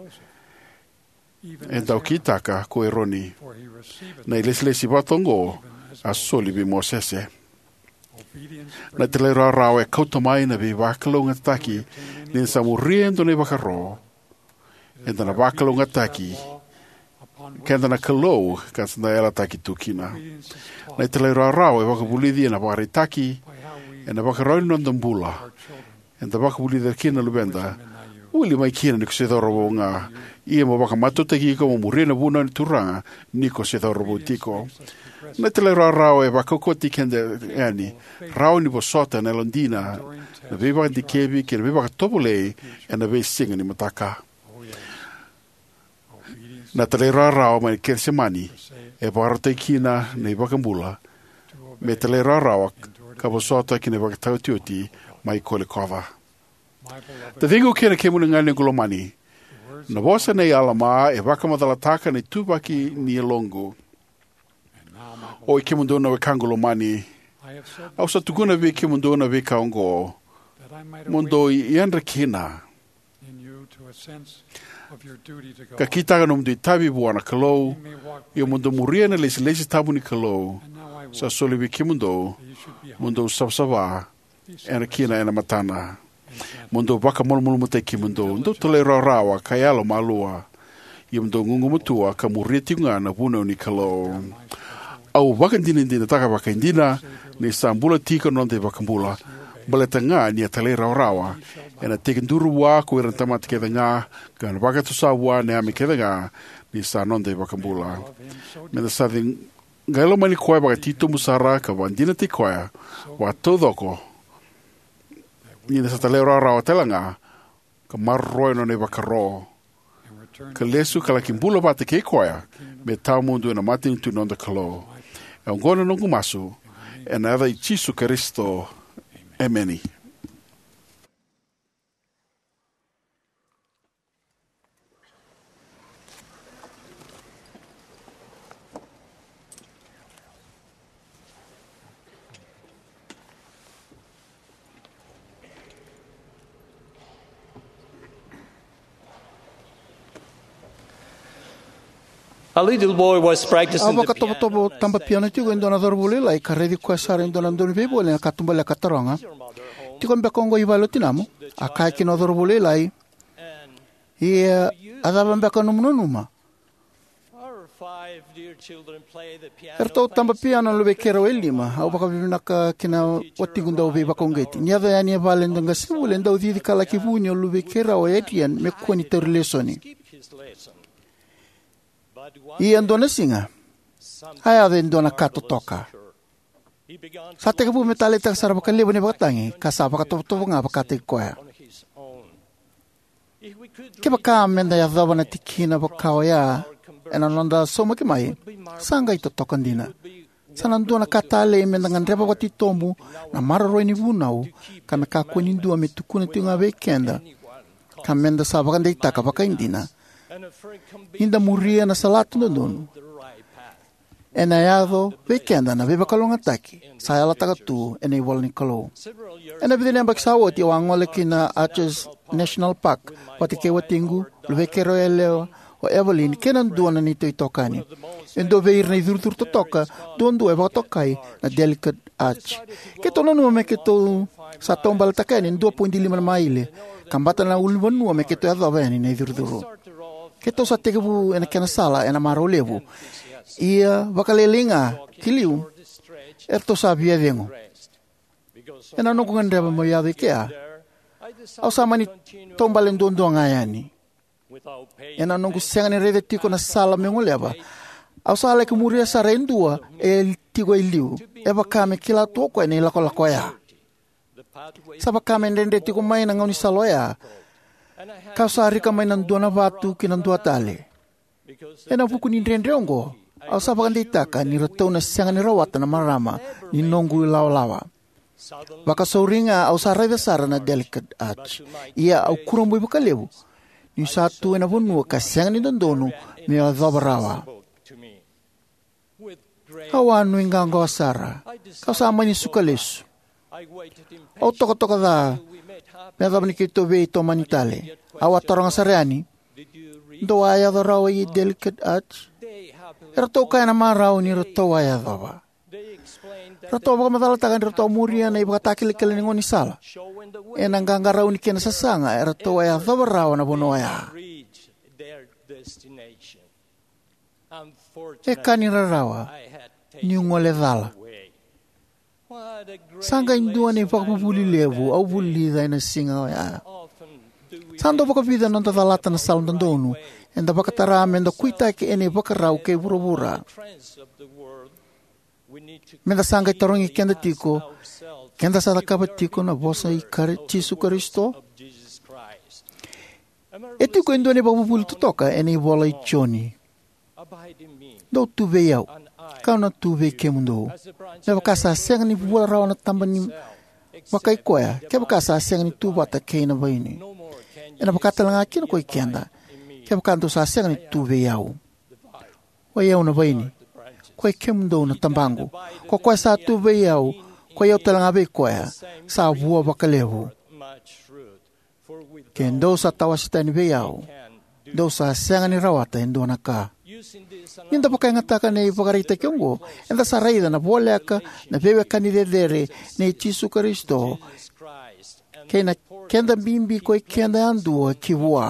e dau kitaka ko Eroni. Na ilesilesi vata oqo a soli vei Mosese. Na talairawarawa e kauta mai na veivakalougatataki. Ni da sa muria e dua na ivakaro, eda na vakalougatataki keda na Kalou ka da sa yalataki tu kina. Na talairawarawa e vakavulici ena ivakaraitaki, ena ivakarau ni noda bula. Eda vakavulica kina na luveda: Vuli mai kina ni ko se cauravou ga, ia mo vakamatautaki iko mo muria na vunau ni Turaga ni ko se cauravou tiko. Na talairawarawa e vakaukauwataki keda yani, rawa ni vosota ena yalodina na veivakadikevi kei na veivakatovolei ena veisiga ni mataka. Na talairawarawa mai Kecisemani e vakarautaki kina na iVakabula me talairawarawa ka vosota ki na ivakataotioti mai Kolikoca. Taciqu kei na kemuni ga na noqu lomani, na vosa nei Alama e vakamacalataka na ituvaki ni yaloqu. Oi kemudou na wekaqu lomani, Au sa tukuna vei kemudou na veika oqo mo dou yadra kina, ka kitaka nomudou itavi vua na Kalou, ia mo dou muria na ilesilesi tabu ni Kalou sa soli vei kemudou mo dou savasava kina ena matana, mo dou vakamalumalumutaki kemudou, dou talairawarawa ka yalomalua, ia mo dou gugumatua ka muria tiko ga na vunau ni Kalou. Au vakadinadinataka vakaidina ni sa bula tiko na noda iVakabula, baleta ga ni a talairawarawa, ena tekiduru vua ko ira na tamata kece ga, ka na vakatusa vua na yame kece ga ni sa noda iVakabula. Meda sa qai lomani koya vakatitobu sara ka vakadinataki koya vakataucoko, ni da sa talairawarawa tale ga ka maroroya na nona ivakaro, ka lesu ka laki bula vata kei koya me tawamudu ena matanitu ni noda Kalou. E oqo na noqu masu ena yaca i Jisu Karisito. Emeni. A little boy was practicing A the vakatovotovo piano. Taba piano tiko e dua na cauravou lailai ka raici koya sara e dua na dauveivoli ena katubaleka, ka taroga, "Tiko beka oqo i vale o tinamu?" A kaya kina o cauravou lailai, "Ia, a cava beka nomu nanuma?" Our five dear children play the piano. Eratou taba piano na luvei keirau e lima. Au vakavinavinaka kina watiqu dauveivakauqeti. Ni yaco yani e vale e dua na qasenivuli, e dau cici ka laki vuni o luvei keirau o Adrian me kua ni tauri lesoni. Ia dua na siga, a yaco e dua na ka totoka. Sa tekivu me taleitaka sara vakalevu na ivakatagi, ka sa vakatovotovo ga vakataki koya. Kevaka meda yacova na tikina vaka oya ena noda saumaki mai, sa qai totoka dina. Sa na dua na ka talei meda gadreva vakatitobu na maroroi ni vunau, ka me kakua ni dua me tukuna tiko ga vei keda, ka meda sa vakadeitaka vakaidina ni da muria na salatu dodonu. Ena yaco vei keda na veivakalougatataki sa yalataka tu ena ivola ni Kalou. Ena vica na yabaki sa oti, au a gole ki na Arches National Park vata kei watiqu, luvei keirau yalewa o Evelyn, kei na dua na neitou itokani. E dua vei ira na icurucuru totoka duadua e vakatokai na Delicate Arch. Keitou nanuma me keitou sa taubaletaka yani e dua poidi lima na maile, ka bata na ulunivanua me keitou yacova yani na icurucuru. Keitou sa tekivu ena kena sala ena marau levu. Ia vakalailai ga ki liu, eratou sa via cegu. Ena noqu gadreva meu yaco i kea, au sa mani taubale duadua ga yani. Ena noqu sega ni raica tiko na sala meu goleva, au sa laki muria sara e dua e tiko e liu, e vaka me kila tu o koya na ilakolako oya. Sa vaka me dredre tiko mai na gaunisala oya, kau sa rika mai na dua na vatu ki na dua tale. Ena vuku ni dredre oqo, au sa vakadeitaka ni ratou na sega ni rawata na marama ni noqu ilawalawa. Vakasauri ga au sa raica sara na Delicate Arch, ia au kurabui vakalevu niu sa tu ena vanua ka sega ni dodonu meu yacova rawa. Au a nuiqawaqawa sara, kau sa mani suka lesu. Au tokatoka ca me yacova ni keitou veitomani tale. Au a taroga sara yani, "Dou a yaco rawa i Delicate Arch?" Eratou kaya na marau ni ratou a yacova. Ratou a vakamacalataka ni ratou a muria na ivakatakilakila ni gaunisala ena qaqarauni kei na sasaga, eratou a yacova rawa na vanua oya. E ka ni rarawa niu gole cala. Sa qai dua na ivakavuvuli levu au vulica ena siga oya. Sa dau vakavica na noda calata na sala dodonu eda vakatara meda kuitaki ena ivakarau kei vuravura. Meda sa qai tarogi keda tiko, keda sa cakava tiko na vosa i Kari-, Jisu Karisito? E tiko e dua na ivakavuvuli totoka ena ivola i Joni. "Dou tu vei au, kau na tu vei kemudou. Me vaka sa sega ni vua rawa na taba ni vakai koya, kevaka sa sega ni tu vata kei na vaini. Ena vaka tale ga kina koi keda, kevaka dou sa sega ni tu vei au. Oi au na vaini, koi kemudou na tabaqu. Ko koya sa tu vei au, koi au tale ga vei koya, sa vua vakalevu. Ke dou sa tawase tani vei au, dou sa sega ni rawata e dua na ka. Ni da vakayagataka na ivakaraitaki oqo, eda sa raica na voleka na veiwekani cecere nei Jisu Karisito kei na keda bibi koi keda yadua ki vua.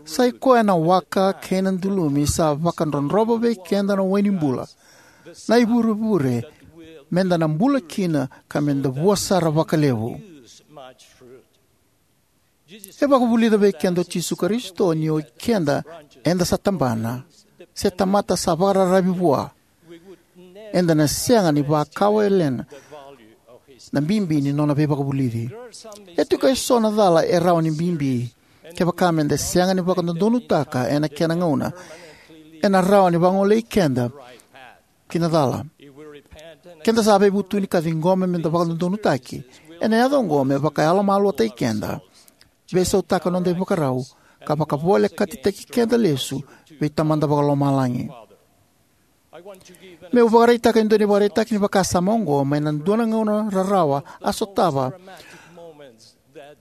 Sa i koya na waka kei na dulumi sa vakadrodrova vei keda na wai ni bula, na ivurevure meda na bula kina ka meda vua sara vakalevu. E vakavulica vei keda o Jisu Karisito ni o keda eda sa tabana se tamata sa vakararavi vua, eda na sega ni vakawalena na bibi ni nona veivakavulici. E tiko eso na cala e rawa ni bibi. Kevaka meda sega ni vakadodonutaka ena kena gauna, ena rawa ni vagolei keda ki na cala. Keda sa veivutuni ka ciqoma meda vakadodonutaki, ena yaco oqo me vakayalomaluataki keda, veisautaka noda ivakarau, ka vakavolekatitaki keda lesu vei Tamada Vakalomalagi. Meu vakaraitaka e dua na ivakaraitaki ni vakasama oqo mai na dua na gauna rarawa a sotava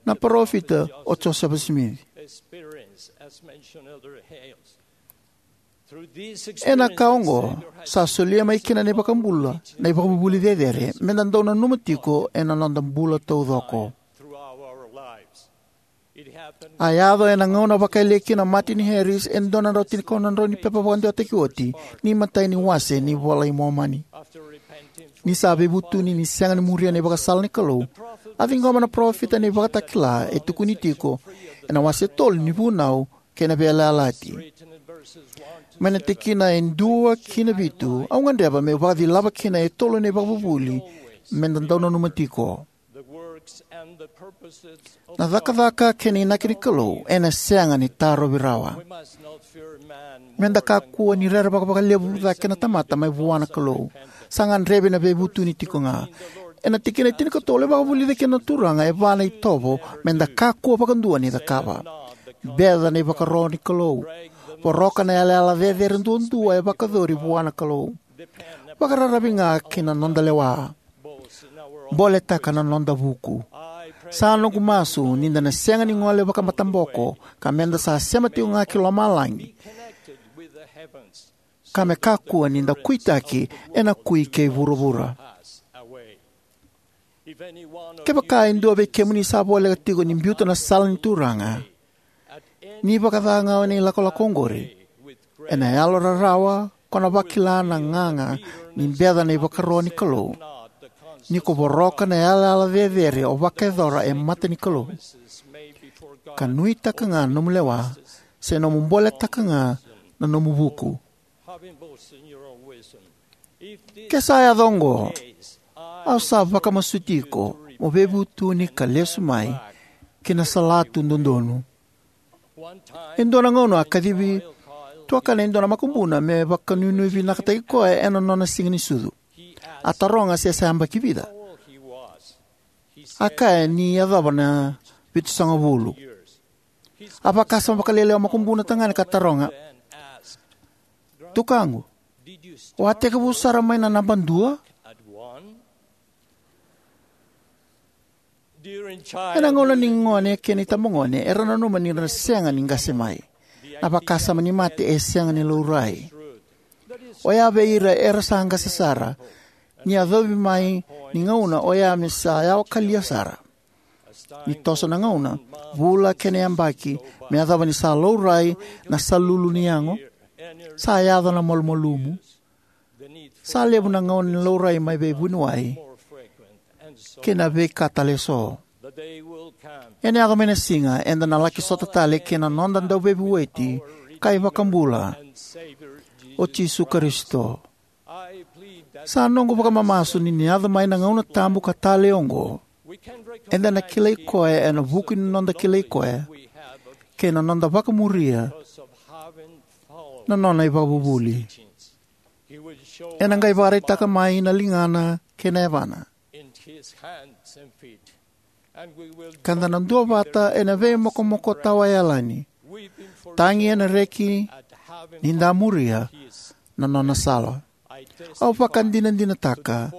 na parofita o Josefa Simici. Ena ka oqo, sa solia mai kina na iVakabula na ivakavuvuli cecere meda dau nanuma tiko ena noda bula taucoko. A yaco ena gauna a vakayalia kina o Martin Harris e dua na drau tinikaono na drau ni pepa vakadewataki oti ni imatai ni wase ni iVola i Momani. Ni sa veivutuni ni sega ni muria na ivakasala ni Kalou, a ciqoma na parofita na ivakatakila e tukuni tiko ena wase tolu ni Vunau kei na Veiyalayalati. Mai na tikina e dua ki na vitu, au gadreva meu vakacilava kina e tolu na ivakavuvuli meda dau nanuma tiko. Na cakacaka kei na inaki ni Kalou ena sega ni tarovi rawa. Meda kakua ni rerevaka vakalevu cake na tamata mai vua na Kalou. Sa gadrevi na veivutuni tiko ga. Ena tikina e tinikatolu e vakavulica kina na Turaga e va na itovo meda kakua vakadua ni cakava. Beca na ivakaro ni Kalou. Voroka na yalayala cecere duadua e vakayacori vua na Kalou. Vakararavi ga ki na noda lewa. Boletaka na noda vuku. Sa noqu masu ni da na sega ni gole vakamataboko ka meda sa sema tiko ga ki lomalagi, ka me kakua ni da kuitaki ena kui kei vuravura. Kevaka e dua vei kemuni sa voleka tiko ni biuta na sala ni Turaga, ni vakaca ga o ni lakolako oqori, ena yalo rarawa ko na vakila na gaga ni beca na ivakaro ni Kalou, ni ko voroka na yalayala cecere o vakayacora e mata ni Kalou, ka nuitaka ga na nomu lewa, se nomu boletaka ga na nomu vuku. Ke sa yaco oqo, au sa vakamasuti iko mo veivutuni ka lesu mai ki na salatu dodonu. E dua na gauna a kacivi tuakana e dua na makubuna me vakanuinui vinakataki koya ena nona siga ni sucu. A taroga se sa yabaki vica. A kaya ni yacova na vitusagavulu. A vakasama vakalailai o makubuna tagane ka taroga, "Tukaqu, o a tekivu sara mai na naba dua?" Ena gauna ni gone kei na itabagone era nanuma ni ra sega ni qase mai. Na vakasama ni mate e sega ni laurai. Oya vei ira era sa qase sara. Ni yacovi mai ni gauna oya me sa yawa kalia sara. Ni toso na gauna, vula kei na yabaki, me yacova ni sa laurai na salulu ni yago, sa yaco na malumalumu. Sa levu na gauna ni laurai mai vei vuniwai kei na veika tale eso. Ena yaco mai na siga eda na laki sota tale kei na noda Dauveivueti ka iVakabula, o Jisu Karisito. Sa noqu vakamamasu ni ni yaco mai na gauna tabu ka talei oqo, eda na kilai koya ena vuku ni noda kilai koya kei na noda vakamuria na nona ivakavuvuli. Ena qai vakaraitaka mai na ligana kei na yavana, ka da na duavata ena veimokomoko tawayalani, tagi ena reki ni da muria na nona sala. Au vakadinadinataka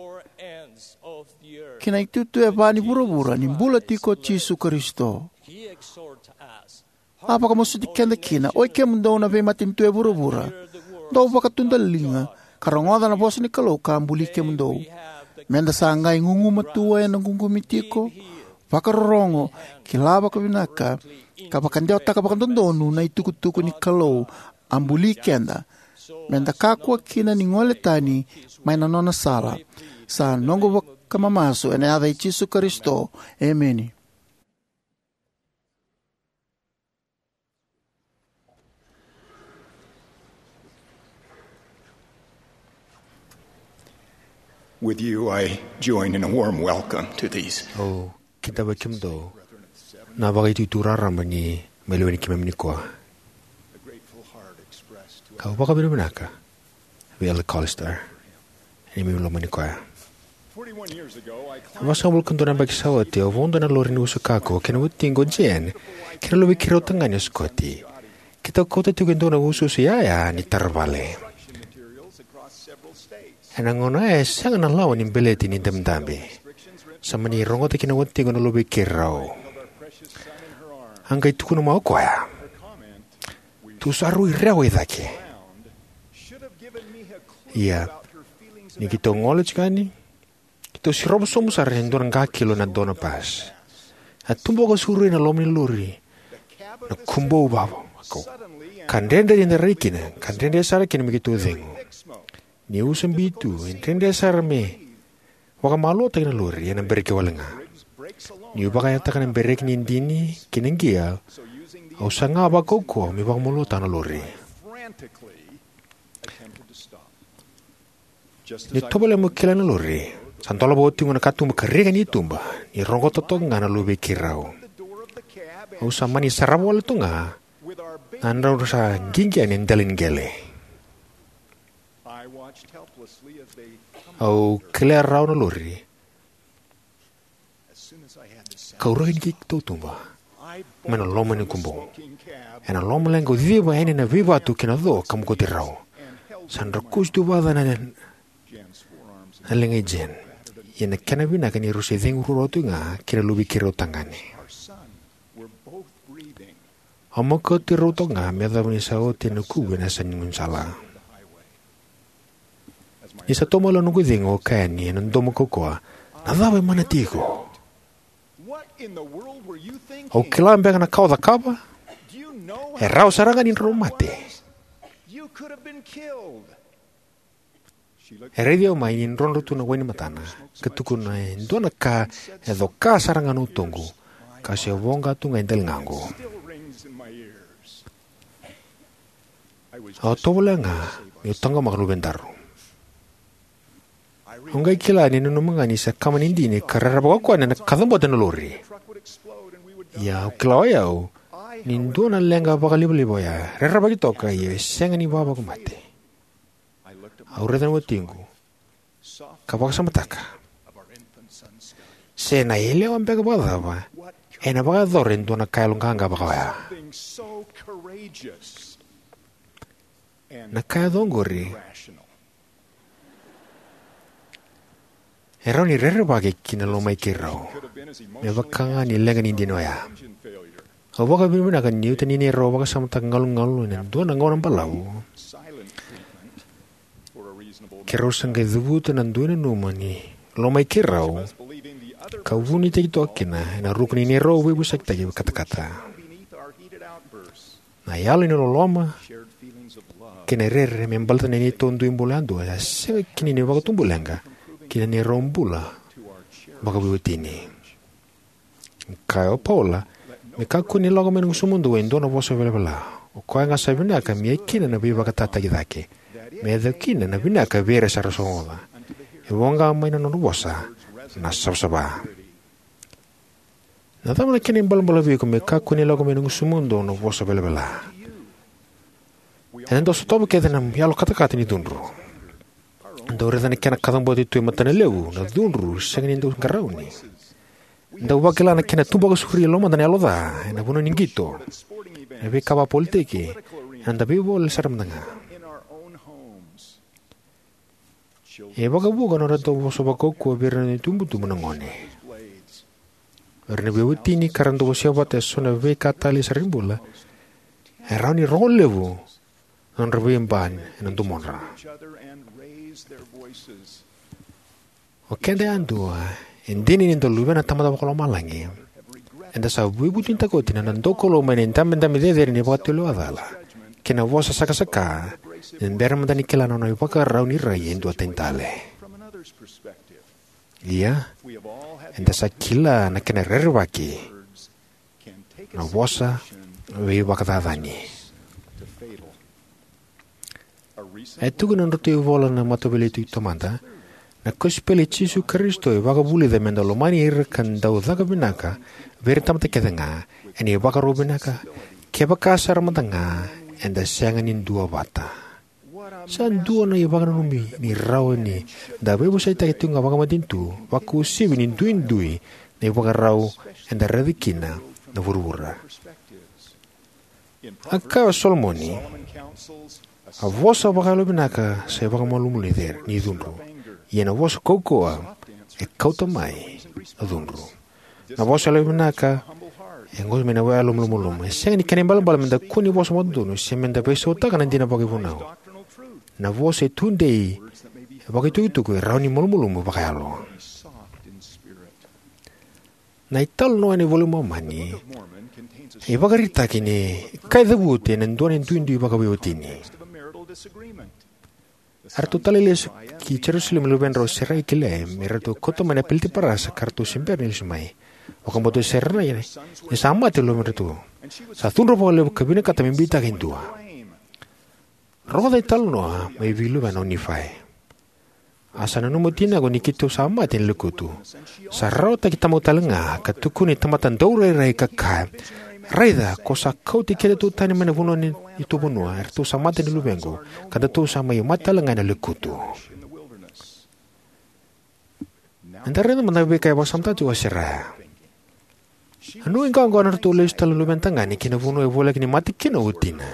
kei na itutu e va ni vuravura ni bula tiko o Jisu Karisito. A vakamasuti keda kina, oi kemudou na veimatanitu e vuravura, dou vakatudaliga ka rogoca na vosa ni Kalou ka a buli kemudou. Meda sa qai gugumatua ena ququmi tiko, vakarorogo, kila vakavinaka, ka vakadewataka vakadodonu na itukutuku ni Kalou a buli keda, meda kakua kina ni gole tani mai na nona sala. Sa noqu vakamamasu ena yaca i Jisu Karisito. Emeni. With you, I join in a warm welcome to these. Au kidavaki kemudou na vakaitutu raraba ni mai lewe ni keimami nikua. Kau vakavinavinaka vei Elder Callister ni mai lomani koya. Vasagavulu ka dua na yabaki sa oti, au vodo ena lori ni usu kako kei na watiqu o Jen kei na luve i keirau tagane o Scotty. Keitou kauta tiko e dua na usuusu yaya ni taravale. Ena gauna oya e sega na lawa ni beleti ni dabedabe. Sa mani rogoca kina na watiqu na luve i keirau. A qai tukuna mai o koya, "Tou sa rui rewa i cake." Ia, ni keitou gole tiko yani, keitou sirova sobu sara e dua na qakilo na dona pas. A tubu vakasauri ena loma ni lori na kubou vava, ka dredre ni da rai kina, ka dredre sara kina me keitou cegu. Niu sa biu tu, e dredre sara me vakamaluataki na lori ena bereki wale ga. Niu vakayagataka na bereki ni idini kei na qia, au saga vakaukauwa me vakamaluataka na lori. Niu tovolea meu kele na lori, sa dolava o watiqu na katuba ka rika ni tuba, ni rogoca toka ga na luve i keirau. Au sa mani sarava wale toka ga na nodrau sa qiqi yani e dela ni qele. Au kelea rawa na lori, kau raica ni keitou tuba mai na loma ni kubou. Ena loma leqa au civa yani na veivatu kei na co ka mokoti rau. Sa drakusi tu vakaca na, na leqa i Jen. Ia na kena vinaka ni rau se cegu ruarua tu ga kei na luve i keirau tagane. Au mokoti rau toka ga me yacova ni sa oti na kuvu ena yasa ni gaunisala. Ni sa tomala noqu cegu, au kaya yani ena domo kaukaua, "Na cava e mana tiko? Au kila beka na ka o cakava? E rawa sara ga ni drau mate." E raici au mai ni drodro tu na wai ni matana, ka tukuna, "E dua na ka e coka sara ga na utoqu, ka se voqa tu ga e daligaqu." Au tovolea ga meu taqomaka na luvedaru. Au qai kila ni nanuma ga ni sa kama ni dini ka rerevaka o koya na kacabote na lori. Ia au kila o yau ni dua na leqa vakalivaliva oya, rerevaki toka ia e sega ni vavaku mate. Au raica na watiqu ka vakasamataka se na yalewa beka vakacava ena vakayacora e dua na ka yaloqaqa vaka oya. Na ka yaco oqori e rawa ni rerevaki ki na loma i keirau me vaka ga ni leqa ni dini oya. Au vakavinavinaka ni uta ni neirau vakasamataka galugalu ena dua na gauna balavu, keirau sa qai cavuta na dui nanuma ni loma i keirau, ka vunitaki toka kina ena ruku ni neirau veivosakitaki katakata. Na yalo ni loloma kei na rere me baleta na neitou dui bula yadua e sega kina ni vakatubuleqa ki na neirau bula vakaveiwatini. Kaya o Paula, "Me kakua ni lako mai na gusumudou e dua na vosa velavela. O koya ga sa vinaka me ia kina na veivakatataki cake, me yaco kina na vinaka vei ira sa ra sogoca. E voqa mai na nodra vosa na savasava." Na cava na kena ibalebale vei iko me kakua ni lako mai na gusumudou na vosa velavela? Ena dau sotava kece na yalo katakata ni cudru. Dau raica na kena kacabote tu e matana levu na cudru sega ni dau qarauni. Dau vakila na kena tubu vakasauri e lomada na yalo ca ena vanua ni qito, na veika vakapolitiki, ena dau veivoli sara mada ga. E vakavuqa na nodratou vosa vakaukauwa vei ira na itubutubu na gone. O ira na veiwatini ka ra dau wasea vata eso na veika talei sara ni bula, e rawa ni rogo levu na nodra veiba ena domodra. O keda yadua, e dina ni da luvena na Tamada Vakalomalagi, eda sa veivutunitaka oti na noda daukaulowa mai na idabedabe cecere ni vakatulewa cala kei na vosa sakasaka, ni da bera mada ni kila na nona ivakarau ni rai e dua tani tale. Ia, eda sa kila na kena rerevaki na vosa veivakacacani. E tukuna na nodratou ivola na Mataveiliutaki Taumada: Na kosipeli i Jisu Karisito e vakavulica meda lomani ira ka dau caka vinaka vei ira na tamata kece ga, ena ivakarau vinaka, kevaka sara mada ga eda sega ni duavata. Sa dua na ivakananumi ni rawa ni da veivosakitaka tiko ga vakamatanitu, vakauasivi ni duidui na ivakarau eda raica kina na vuravura. A kaya o Solomoni: A vosa vakayalovinaka sa ivakamalumalumu ni cudru, ia na vosa kaukauwa e kauta mai na cudru. Na vosa yalovinaka e qai mai na yalo malumalumu. E sega ni kena ibalebale meda kua ni vosa vakadodonu se meda veisautaka na dina vakaivunau. Na vosa e tudei, e vakaitukutuku, e rawa ni malumalumu vakayalo. Na italanoa ena iVola i Momani e ivakaraitaki ni ka e cavuti ena dua na duidui vakaveiwatini. Eratou talai lesu ki Jerusalemi na luvedrau o Serai kei Leai me ratou kauta mai na peleti parasa ka ratou se bera ni lesu mai. Vakabauta o Serai ni sa mate na luvedratou. Sa cudru vakalevu ka vinakata me beitaka e dua. Rogoca na italanoa mai vei luvena o Nifai. A sa nanuma o tinaqu ni keitou sa mate ena lekutu. Sa rarawataki tamaqu tale ga ka tukuna na tamata daurairai ka kaya: Raica, ko sa kauti kedatou tani mai na vanua ni neitou vanua, eratou sa mate na luvequ, ka datou sa mai mate tale ga ena lekutu. Eda raica mada na veika e vakasamataka tiko o Serai. A nuiqawaqawa na nodratou lesu tale na luvena tagane ki na vanua e voleka ni mate kina o tina.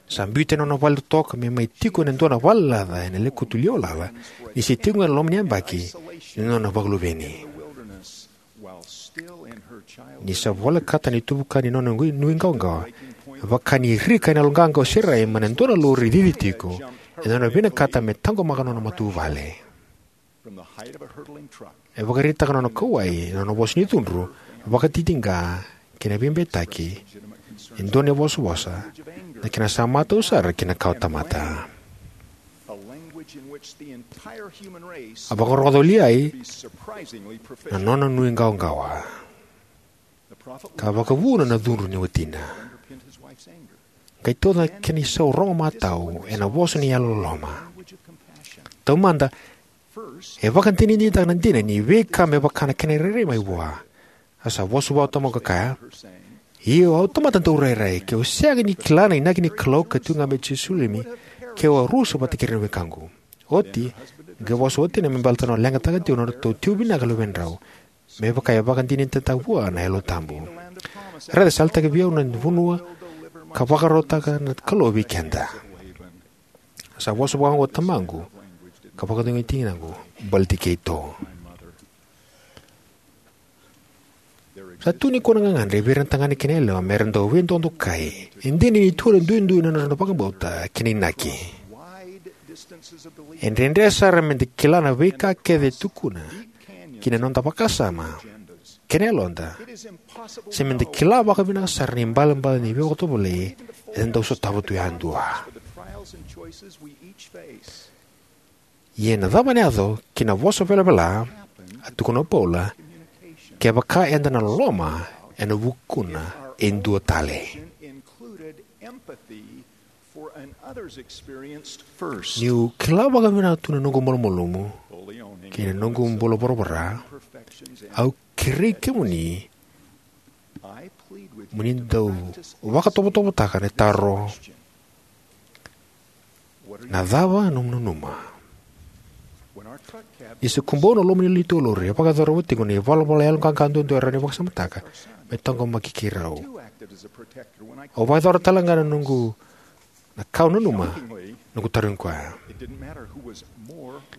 Sa biuta na nona vale totoka me mai tiko ena dua na valelaca ena lekutu liwa lala, ni se tiko ga ena loma ni yabaki ni nona vakaluveni. Ni sa volekata na ituvuka ni nona nuiqawaqawa, e vaka ni rika ena yaloqaqa o Serai mai na dua na lori cici tiko, ena nona vinakata me taqomaka na nona matavuvale. E vakaraitaka na nona kauwai na nona vosa ni cudru, vakatitiqa, kei na veibeitaki, e dua na ivosavosa, na kena sa matau sara ki na kawatamata. A vakarogoca o Liai na nona nuiqawaqawa, ka vakavuna na cudru ni watina. Qai tauca na kena isau rogo matau ena vosa ni yalololoma. Taumada, e vakadinadinataka na dina ni veika me vaka na kena irairai mai vua. A sa vosa vua o tamaqu ka kaya: Io, au tamata daurairai, keu sega ni kila na inaki ni Kalou ka tiko ga mai Jerusalemi, keu a rusa vata kei ira na wekaqu. Oti, qai vosa o watina me baleta na nona leqataka tiko na nodratou tiko vinaka na luvedrau, me vaka e vakadinadinataka vua na Yalo Tabu. Raica, sa yalataki vei au na vanua ka vakarautaka na Kalou vei keda. Sa vosa vakaoqo o tamaqu, ka vakacegui tinaqu baleti keitou. Sa tu nikua na gagadre vei ira na tagane kei na yalewa me ra dau veidodokai. E dina ni tu ena duidui na nodra vakabauta kei na inaki. E dredre sara meda kila na veika kece e tukuna ki na noda vakasama kei na yaloda, se meda kila vakavinaka sara na ibalebale ni veivakatovolei eda dau sotava tu yadua. Ia na cava ena yaco ki na vosa velavela, a tukuna o Paula, kevaka eda na loloma ena vukuna e dua tale? Niu kila vakavinaka tu na noqu malumalumu kei na noqu bula voravora, au kerei kemuni mo ni dau vakatovotovotaka na taro: Na cava nomu nanuma? Ni se kubou na loma ni neitou lori, e vakayacora vata tiko na ivalavala yaloqaqa duadua e rawa ni vakasamataka me taqomaki keirau. Au vakayacora tale ga na noqu, na ka au nanuma Noqu tarogi koya.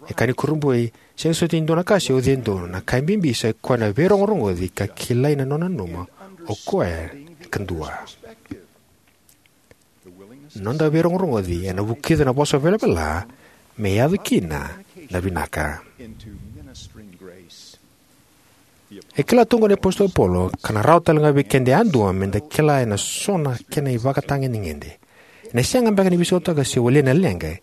E kaya ni kurabui, sega soti e dua na ka se oci e dua, na ka e bibi sa i koya na veirogorogoci ka kilai na nona nanuma o koya e kadua. Noda veirogorogoci ena vukica na vosa velavela me yaco kina na vinaka. E kila tu oqo na iApositolo Paula, ka na rawa tale ga vei keda yadua me da kila ena so na kena ivakatagedegede. Ena sega beka ni veisautaka se walia na leqa,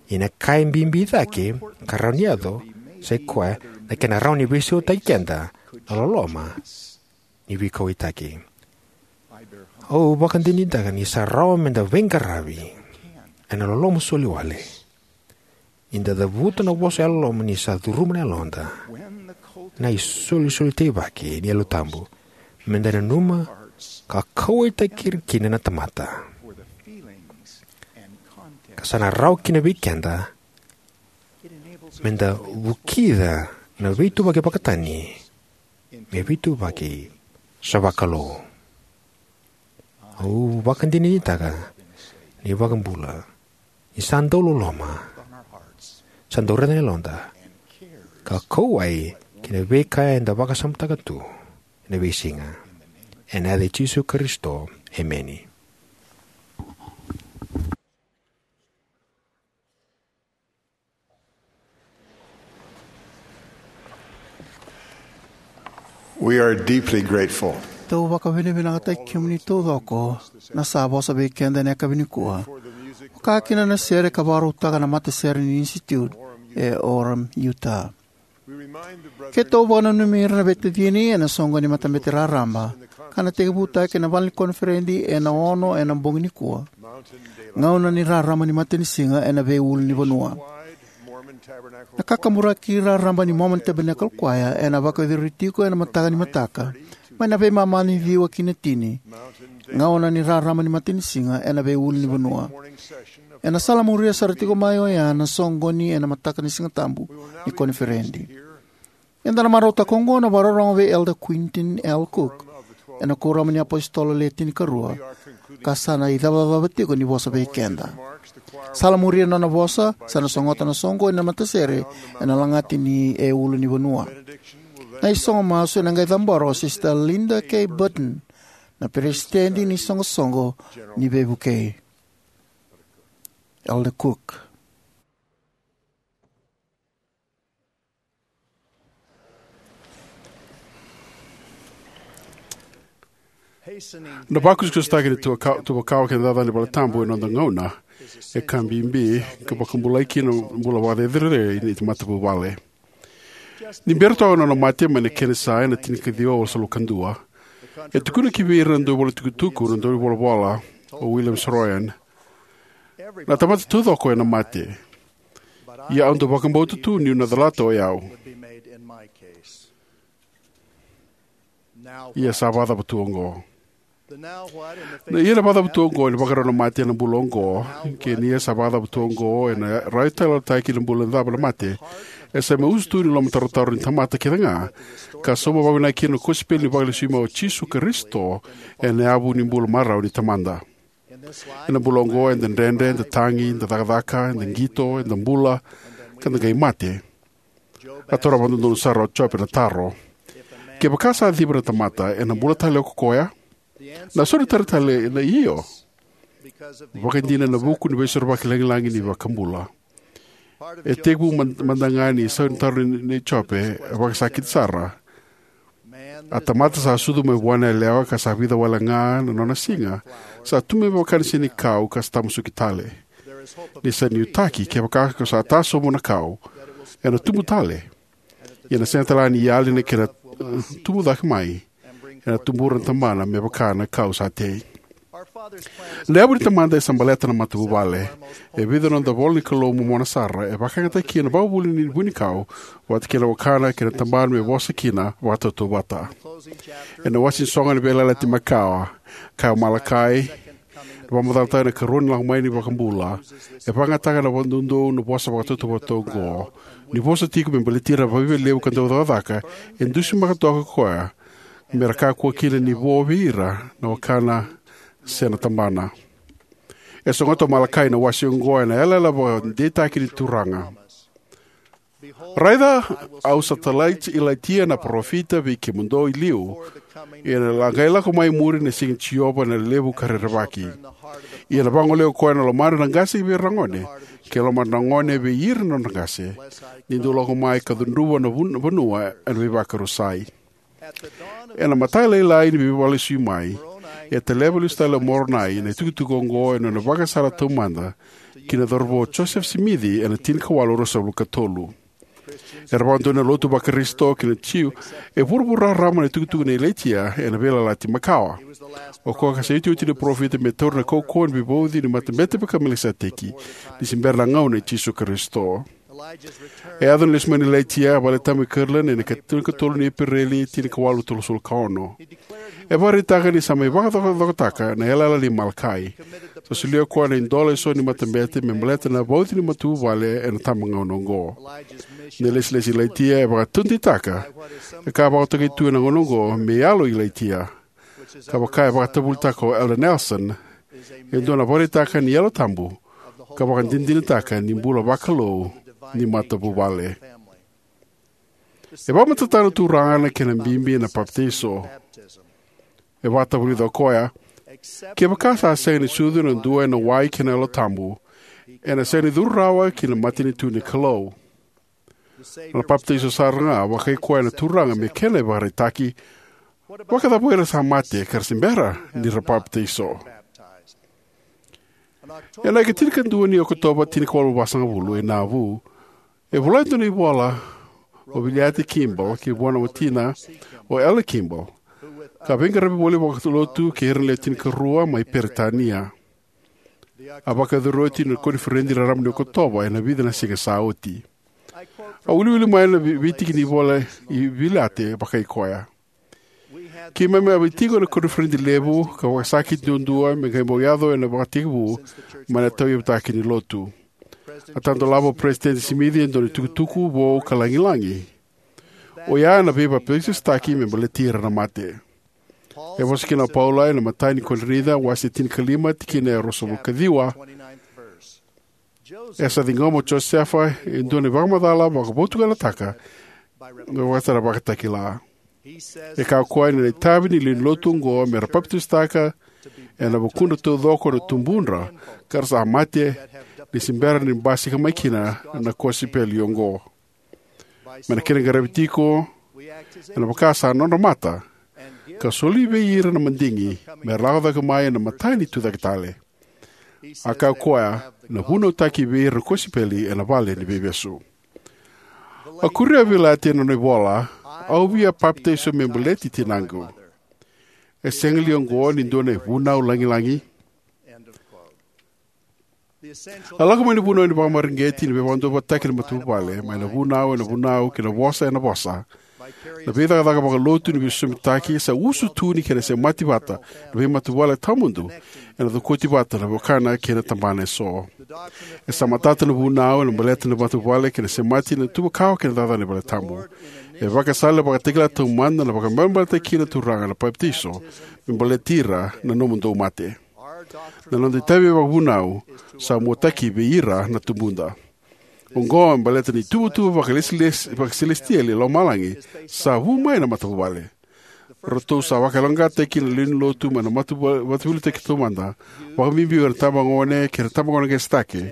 ia na ka e bibi cake ka rawa ni yaco sa i koya na kena rawa ni veisautaki keda na loloma ni veikauwaitaki. Au vakadinadinataka ni sa rawa me da veiqaravi ena loloma soli wale. Ni da cavuta na vosa yalololoma ni sa curuma na yaloda, na isolisoli teivaki ni Yalo Tabu, me da nanuma ka kauwaitaki ira kina na tamata. Ka sa na rawa kina vei keda me da vukica na veituvaki vakatani me veituvaki sa vakalou. Au vakadinadinataka ni iVakabula ni sa dau loloma, sa dau raica na yaloda, ka kauwai ki na veika eda vakasamataka tu ena veisiga. Ena yaca i Jisu Karisito, emeni. We are deeply grateful. Tou vakavinavinakataki kemuni taucoko na sa vosa vei keda ena yakavi nikua, vaka kina na sere ka vakarautaka na matasere ni Institute e Orem, Utah. Keitou vakananumi ira na veitacini ena soqo ni matabete raraba ka na tekivutaki ena vale ni koniferedi ena ono ena bogi nikua, gauna ni rarama ni matanisiga ena veiulunivanua. Na kakaburaki raraba ni Mormon Tabernacle Choir ena vakayacori tiko ena mataka ni mataka, mai na veimama ni ciwa ki na tini, gauna ni rarama ni matanisiga ena veiulunivanua. Ena salamuria sara tiko mai oya na soqoni ena mataka ni Sigatabu ni koniferedi. Eda na marautaka oqo na vakarorogo vei Elder Quentin L. Cook, ena Kuoramu ni iApositolo Le Tinikarua, ka sa na icavacava tiko ni vosa vei keda. Salamuria na nona vosa, sa na sogota na soqoni na matasere ena lagati ni e ulunivanua. Na isogo masu ena qai cabora o Sister Linda K. Burton, na peresitedi ni soqosoqo ni veivukei. Elder Cook. Na vakusakusataki ni tuva kawa kei na cakacaka ni valetabu ena noda gauna e ka bibi ka vakabulai kina na bula vakacerecerei ni matavuvale. Ni bera toka na nona mate mai na kenisa ena tinikaciwa walusagavulu ka dua, e tukuna ki vei ira na dauvolaitukutuku na daunivolavola o William Saroyan, na tamata taucoko ena mate. Ia au dau vakabauta tu niu na calata o yau. Ia sa vakacava tu oqo? Na ia na vakacava tu oqo ena vakarau na mate ena bula oqo, kei na ia sa vakacava tu oqo ena rai taleitaki na bula ni cava na mate, e sa mai usutu ni lomatarotaro ni tamata kece ga, ka sauma vakavinaka kina na kosipeli ni vakalesui mai o Jisu Karisito ena yavu ni bula marau ni Tamada. Ena bula oqo eda dredre, eda tagi, eda cakacaka, eda qito, eda bula, ka da qai mate. A taura vakadodonu sara o Jope na taro: Kevaka sa civa na tamata, ena bula tale ko koya? Na sauna tale na io. Vakaidina ena vuku ni veisorovaki lagilagi ni iVakabula. E tekivu mada ga ni sauna taro nei Jope e vakasakiti sara. A tamata sa sucu mai vua na yalewa ka sa vica wale ga na nona siga, sa tu mai vaka na senikau ka sa tamusuki tale. Ni sa nuitaki, kevaka ko sa tasobu na kau, ena tubu tale. Ia ena sega tale ga ni yali na kena, eh, tubu cake mai. Ena tubura na tamana me vaka na kau sa tei. Na yavu ni Tamada e sa baleta na matavuvale. E vica na noda ivola ni Kalou momona sara e vakayagataki kina na vakavuvuli ni vunikau vata kei na wakana kei na tabana me vosa kina vakatautauvata. Ena wase ni soqo ni Veiyalayalati Makawa, kaya o Malakai, na vakamacalataka na ikarua ni lako mai ni iVakabula, e vakayagataka na vakadoudou na vosa vakatautauvata oqo, ni vosa tiko me baleti ira na vakaviva levu ka dau cakacaka, e dusimaka toka ko koya, me ra kakua kina ni vo vei ira na wakana se na tabana. E sogota o Malakai na wase oqo ena yalayala vakadeitaki ni Turaga: Raica, au sa talai Ilaitia na parofita vei kemudou i liu, ia ena qai lako mai muri na siga i Jiova na levu ka rerevaki. Ia ena vagolea o koya na lomadra na qase vei ira na gone, kei na lomadra na gone vei ira na nodra qase, ni dou lako mai ka cudruva na vun- vanua ena veivakarusai. Ena matailalai ni Veivakalesui mai, e taleva lesu tale o Moronai na itukutuku oqo ena nona vakasala taumada ki na cauravou o Josefa Simici ena tinikawalu ruasagavulu ka tolu. Era vakadonui na lotu Vakarisito kei na Jiu e vuravura raraba na itukutuku nei Ilaitia ena Veiyalayalati Makawa. O koya sa iotioti ni parofita me taura na kaukauwa ni veivauci ni Matabete i Melikiseteki, ni se bera na gauna i Jisu Karisito. E yaco na lesu mai nei Ilaitia e Valetabu e Kirtland ena ika tinikatolu ni Epereli, tinikawalu tolusagavulu ka ono. E vakaraitaka ni sa mai vakacokacokataka na yalayala nei Malakai. Sa solia o koya na idola eso ni matabete me baleta na vauci ni matavuvale ena tabagauna oqo. Na ilesilesi i Ilaitia e vakataudeitaka e ka a vakatokai tu ena gauna oqo me yalo i Ilaitia, ka vaka e vakatavulitaka o Elder Nelson, e dua na vakaraitaka ni Yalo Tabu, ka vakadinadinataka ni bula vakalou ni matavuvale. E vakamatatataka na Turaga na kena bibi na papitaiso. E vakatavulica o koya: Kevaka sa sega ni sucu na dua ena wai kei na Yalo Tabu, ena sega ni curu rawa ki na matanitu ni Kalou. Na papitaiso sara ga vakai koya na Turaga me kena ivakaraitaki. Vakacava o ira sa mate ka ra se bera ni ra papitaiso? Ena ika tinikadua ni Okotova, tinikawalu vasagavulu, e Navu, e vola e dua na ivola o Viliate Kimball ki vua na watina, o Elder Kimball, ka veiqaravi voli vakalotu kei ira na lewe tinikarua mai Peritania. A vakayacori oti na koniferedi raraba ni Okotova ena vica na siga sa oti. Au wiliwili mai na vei- veitiki ni ivola i Viliate, vakai koya: Keimami a mai tiko ena koniferedi levu ka vakasakiti duadua me qai bau yaco ena ivakatekivu mai na tauyavutaki ni Lotu. A tadolava o Peresitedi Simici e dua na itukutuku vou ka lagilagi, o ya na veivapitaisotaki me baleti ira na mate. E vosa kina o Paula ena imatai ni Korinica, wase tinikalima, tikina e ruasagavulu ka ciwa: E sa ciqoma o Josefa e dua na ivakamacala vakavotukanataka me vakatara vakatakila. E kaya o koya ni na itavi ni lewe ni Lotu oqo me ra papitaisotaka ena vukudra taucoko na tubudra ka ra sa mate, ni se bera ni basika mai kina na kosipeli oqo. Me na kena qaravi tiko, ena vaka sa nodra mata, ka soli vei ira na madigi me ra lako cake mai ena matai ni tucake tale. A kaya o koya: Na vunautaki vei ira na kosipeli ena vale ni veivesu. A kuria o Viliate ena nona ivola: Au via papitaiso me baleti tinaqu. E sega li oqo ni dua na ivunau lagilagi? A lako mai na vunau ni vakamareqeti ni veivakaduavatataki ni matavuvale, mai na vunau ena vunau kei na vosa ena vosa. Na veicakacaka vakalotu ni veisosomitaki sa usutu ni kena semati vata na veimatavuvale tawamudu ena cokoti vata na wekana kei na tabana eso. E sa matata na vunau ena baleta na matavuvale kei na semati na tuva kawa kei na cakacaka ni valetabu. E vakasala vakatakila taumada na vakamaremataki kina na Turaga na papitaiso me baleti ira na nomudou mate. Na noda itavi vakavunau sa muataki vei ira na tubuda. Oqo me baleta na ituvatuva vakalesilesi- vakaselesitieli e lomalagi sa vu mai na matavuvale. Ratou sa vakayaloqaqataki na lewe ni Lotu mai na matavu- mataveiliutaki taumada, vakabibi ira na tabagone kei na tabagone qase cake,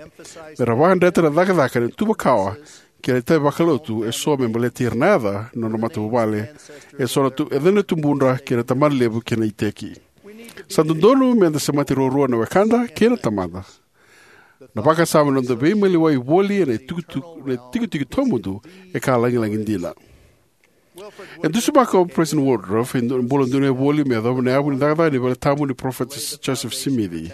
me ra vakadreta na cakacaka ni tuva kawa kei na itavi vakalotu eso me baleti ira na yaca ni nodra matavuvale, eso na tu- yaca ni tubudra kei na tabanalevu kei na iteki. Sa dodonu me da semati ruarua na wekada kei na tamada. Na vakasama na noda veimaliwai voli ena itukutuku- na itikotiko tawamudu e ka lagilagi dina. E dusimaka o President Woodruff e du- bula donuya voli me yacova na yavu ni cakacaka ni valetabu ni Parofita Joseph Smith.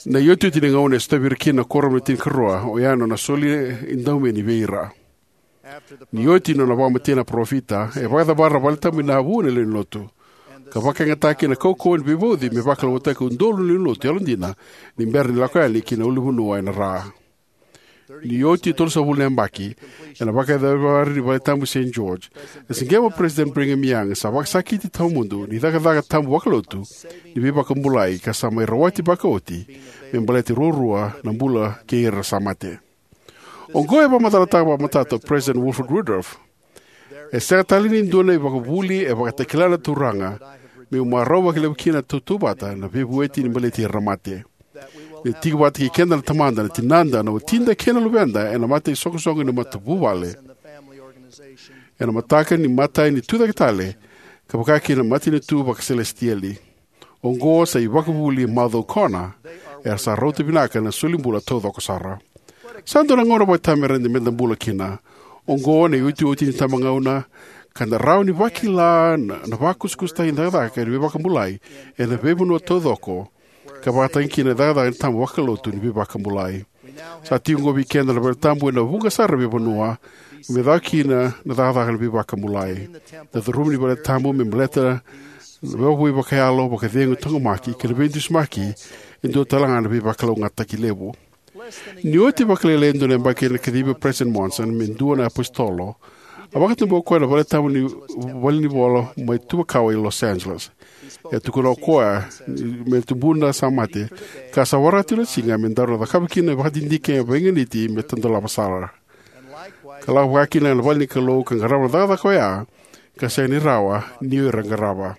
Na iotioti ni gauna e sotavi ira kina na Kuoramu ni Tinikarua, oya na nona soli edaumeni vei ira. Ni oti na nona vakamatei na parofita, e vakacavara na valetabu e Navu na lewe ni Lotu, ka vakayagataki na kaukauwa ni veivauci me vakalougatataki udolu na lewe ni Lotu yalodina ni bera ni lako yani ki na ulunivanua ena ra. Ni oti e tolusagavulu na yabaki, ena vakayaco ni valetabu i Saint George, e siqema o President Brigham Young sa vakasakiti tawamudu ni cakacaka tabu vakalotu ni veivakabulai ka sa mai rawati vakaoti me baleti ruarua na bula kei ira sa mate. Oqo e vakamacalataka vakamatata o President Wilford Woodruff. E sega tale ni dua na ivakavuvuli e vakatakila na Turaga meu marau vakalevu kina na tautauvata na veivueti ni baleti ira na mate. Ni tiko vata kei keda na tamada, na tinada, na watida kei na luveda ena mata isoqosoqo ni matavuvale, ena mataka ni imatai ni tucake tale, ka vaka kina na matanitu vakaselesitieli. Oqo sa ivakavuvuli macaukona, era sa rauta vinaka na solibula taucoko sara. Sa dua na gauna vakaitavi meda bula kina. Oqo na iotioti ni itabagauna, ka da rawa ni vakila na, na vakusakusataki ni cakacaka ni veivakabulai ena veivanua taucoko, ka vakatagi kina na cakacaka ni tabu vakalotu ni veivakabulai. Sa tiko oqo vei keda na valetabu ena vuqa sara na veivanua, me caka kina na cakacaka ni veivakabulai. Na curuma ni valetabu me baleta na vakavoui vakayalo, vakacegu, taqomaki kei na veidusimaki e dua tale ga na veivakalougatataki levu. Ni oti vakalailai e dua na yabaki ena kacivi o President Monson me dua na iapositolo, a vakatabua o koya na valetabu ni valenivolavola mai Tuva Kawa i Los Angeles. E tukuna o koya me tubu na sa mate, ka sa waraka tiko na siga me daru na cakava kina na vakadidike veiganiti me tadolava sara, ka lako vaka kina na vale ni Kalou ka qarava na cakacaka oya ka sega ni rawa ni o ira qarava.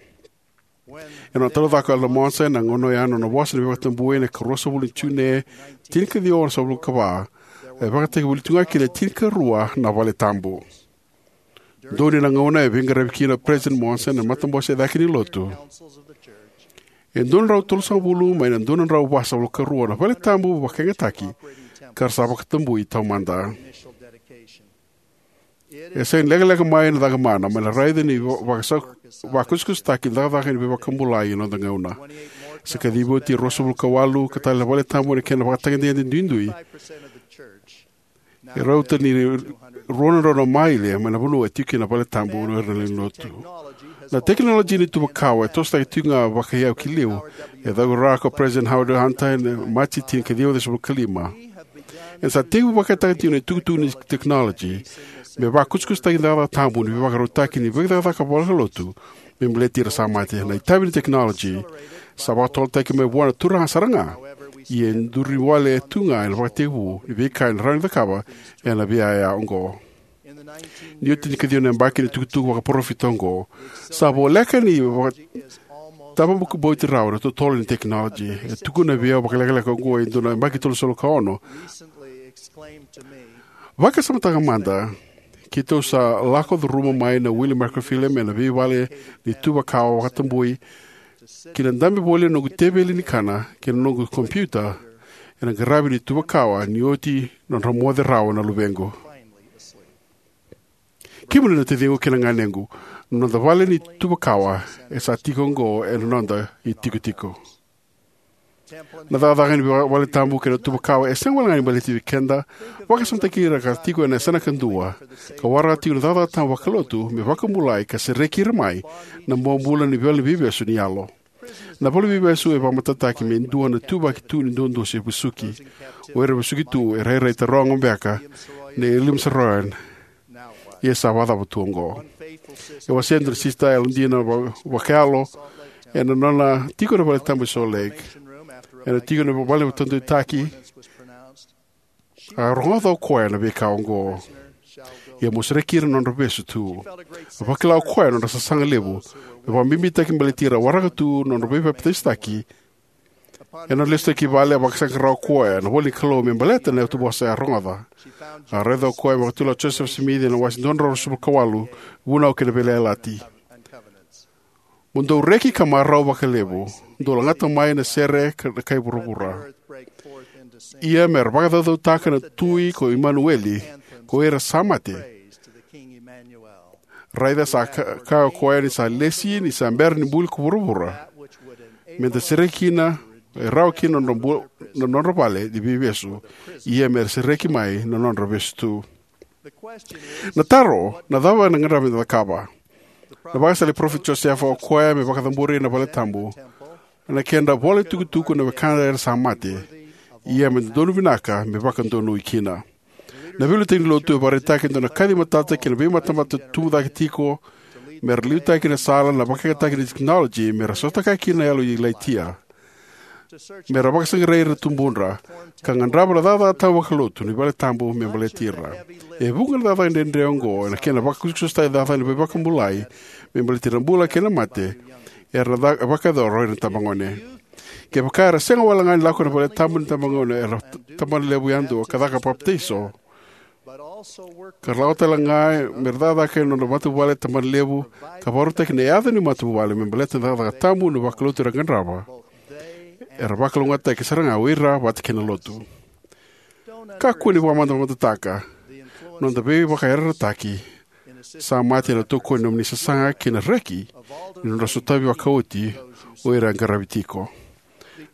Ena nona taleitaka o Elder Monson ena gauna oya na nona vosa ni veivakatabui ena ikaruasagavulu ni June, tinikaciwa onosagavulu ka va, e vakatakivuli tu ga kina e tinikarua na valetabu. Donuya na gauna e veiqaravi kina o President Monson ena matabose e cake ni Lotu, e dua na drau tolusagavulu mai na dua na drau vasagavulu ka rua na valetabu vakayagataki ka ra sa vakatabui taumada. E sega ni lekaleka mai na caka mana mai na raica ni va-, vakasa-, vakusakusataki ni cakacaka ni veivakabulai ena noda gauna. Sa kacivi oti e ruasagavulu ka walu ka tale na valetabu ena kena vakatagedegede duidui. E rauta ni rua na drau na maile mai na vanua e tiko kina na valetabu o ira na lewe ni Lotu. Na tekinoloji ni Tuva Kawa e tosotaki tiko ga vakaiyau ki liu. E cavuta ko President Howard Hunter ena Maji tinikaciwa ciwasagavulu ka lima. Ena sa tekivu vakayagataki tiko na itukutuku ni tekinoloji me vakusakusataki na cakacaka tabu ni veivakarautaki ni veicakacaka vakalotu me baleti ira sa mate. Na itavi ni tekinoloji sa vakatotolotaki mai vua na Turaga sara ga, ia e duri wale tu ga ena vakatekivu ni veika ena rawa ni cakava ena veiyaya oqo. Ni oti e tinikaciwa na yabaki ni tukutuku vakaparofita oqo, sa voleka ni vaka-, tavabukabauti rawa na totolo ni tekinoloji. E tukuna vei au vakalekaleka oqo e dua na yabaki tolusagavulu ka ono: "Vakasamataka mada, keitou sa lako curuma mai na wili microfilm ena veivale ni Tuva Kawa vakatabui ki na dabe voli na noqu teveli ni kana kei na noqu kompiuta ena qaravi ni Tuva Kawa ni oti nodra moce rawa na luvequ." Kemuni na taciqu kei na ganequ, na noda vale ni Tuva Kawa e sa tiko oqo ena noda itikotiko. Na cakacaka ni va-, valetabu kei na Tuva Kawa e sega wale ga ni baleti vei keda. Vakasamataki ira ka tiko ena yasana kadua ka waraka tiko na cakacaka tabu vakalotu me vakabulai ka sereki ira mai na bobula ni vale ni veivesu ni yalo. Na vale ni veivesu e vakamatatataki me dua na ituvaki tu ni duadusi e vesuki. O ira e vesuki tu e rairai taroga beka na William Saroyan, ia sa vakacava tu oqo? E wasea e dua na sisita yalodina va-, vakayalo ena nona tiko na valetabu e Salt Lake. Ena tiko na vale ni vakataudeitaki, a rogoca o koya na veika oqo: "Ia mo sereki ira na nodra vesu tu." A vakila o koya na nodra sasaga levu me vakabibitaki baleti ira waraka tu na nodra veipapitaisotaki. Ena nona lesu tale ki vale, a vakasaqara o koya na ivola ni Kalou me baleta na ituvosa e a rogoca. A raica o koya me vakatulewa o Joseph Smith ena wase dua na drau ruasagavulu ka walu, Vunau kei na Veiyalayalati: "Mo dou reki ka marau vakalevu, dou lagata mai na sere ka, na kai vuravura. Ia me ra vakacaucautaka na tui ko Imanueli, ko ira sa mate." Raica, sa ka-, kaya o koya ni sa lesi ni sa bera ni buli ko vuravura, me da sereki kina, e rawa kina na nodra bu-, na nodra vale ni veivesu, ia me ra sereki mai na nodra vesu tu. Na taro, na cava ena gadrevi me da cakava? Na vakasala i parofita Josefa, o koya me vakacabori na valetabu, na kedra vola itukutuku na wekada era sa mate, ia me dodonu vinaka me vakadonui kina. Na veiliutaki ni lotu e vakaraitaka e dua na kaci matata ki na veimatamata tubu cake tiko me ra liutaki na sala na vakayagataki ni tekinoloji me ra sotakaya kina na yalo i Laitia, me ra vakasaqarai ira na tubudra, ka qarava na cakacaka tabu vakalotu ni vale tabu me baleti ira. E vuqa na cakacaka dredre oqo ena kena vakusakusataki cakacaka ni veivakabulai me baleti ira na bula kei na mate era na ca- vakayacora ena itabagone. Kevaka era sega wale ga ni lako ena vale tabu ni itabagone era t- tabana levu yadua ka caka papitaiso, ka ra lako tale ga me ra cakacaka ena nodra matavuvale tabana levu, ka vakarautaki na yaca ni matavuvale me baleta na cakacaka tabu ni vakalotu era qarava, era vakalougatataki sara ga o ira vata kei na lotu. Kakua ni vakamamadataka na noda veivakayarayarataki sa mate ena tokoni ni nomuni sasaga kei na reki ni nodra sotavi vakaoti o ira e qaravi tiko.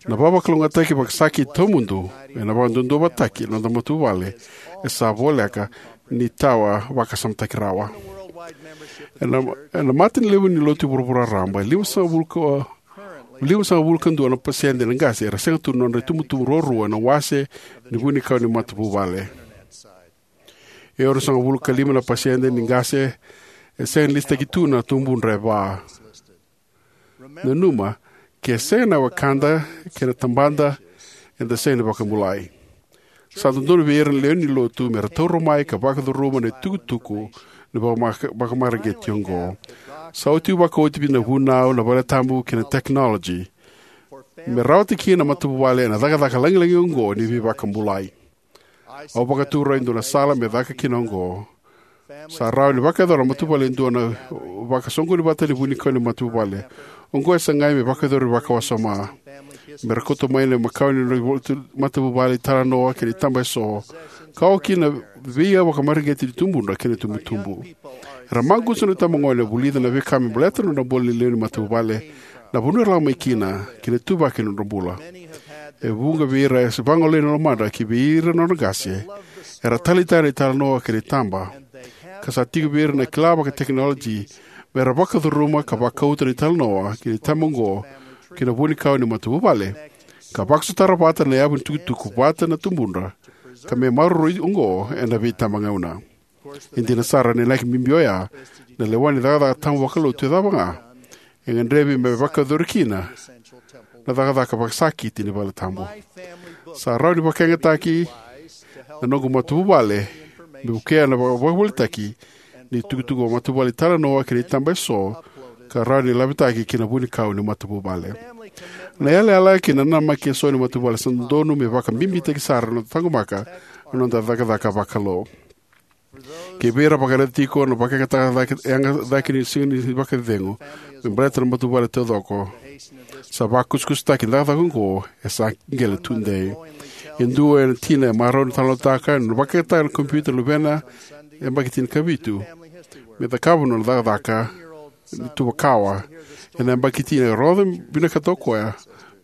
Na veivakalougatataki vakasakiti tawamudu ena vakaduaduavataki na noda matavuvale e sa voleka ni tawa vakasamataki rawa. Ena, ena mata ni levu ni lotu e vuravura raraba, e limasagavulu ka, limasagavulu ka dua na pasede na qase era sega tu na nodra itubutubu ruarua ena wase ni vunikau ni matavuvale. E onosagavulu ka lima na pasede ni qase e sega ni lisitaki tu na tubudra e va. Nanuma, ke sega na wekada kei na tabada, eda sega ni vakabulai. Sa dodonu vei ira na lewe ni lotu me ra taura mai ka vakacuruma na itukutuku ni vakama- vakamareqeti oqo. Sa oti vakaoti vei na vunau, na vale tabu kei na tekinoloji me rawata kina na matavuvale ena cakacaka lagilagi oqo ni veivakabulai. Au vakatau e dua na sala me caka kina oqo. Sa rawa ni vakayacora na matavuvale e dua na vakasoqoni vata ni vunikau ni matavuvale. Oqo e sagai me vakayacori vakawasoma. Me ra kauta mai na makau ni nodra matavuvale italanoa kei na itaba eso, ka oka kina na veika vakamareqeti ni tubudra kei na itubutubu. Era maqusa na itabagone e vulica na veika me baleta na nodra bula ni lewe ni matavuvale, na vanua era lako mai kina, kei na ituvaki ni nodra bula. E vuqa vei ira e vagolei na lomadra ki vei ira na nodra qase era taleitaka na italanoa kei na itaba, ka sa tiko vei ira na kila vakatekinoloji me ra vakacuruma ka vakauta na italanoa kei na itaba oqo ki na vunikau ni matavuvale, ka vakasotara vata na yavu ni tukutuku vata na tubudra, ka me maroroi oqo ena veitabagauna. E dina sara, na inaki bibi oya na lewa ni cakacaka tabu vakalotu e cava ga e gadrevi me vakayacori kina na cakacaka vakasakiti ni vale tabu. Sa rawa ni vakayagataki na noqu matavuvale me vukea na vaka- vakavolitaki ni tukutuku matavuvale italanoa kei na itaba eso ka rawa ni lavitaki ki na vunikau ni matavuvale. Na yalayala kei na namaki eso ni matavuvale sa dodonu me vakabibitaki sara na noda taqomaka na noda cakacaka vakalo. Kei vei ira vakaraica tiko na vakayagataka cake, yaga cake ni siga ni vakacecegu me baleta na matavuvale taucoko, sa vakusakusataki na cakacaka oqo e sa qele tudei. E dua na tina e marau ni talanoataka na vakayagataka na kompiuta na luvena e yabaki tinikavitu me cakava na nona cakacaka ni tuva kawa. Ena yabaki tini e rogoca vinakata o koya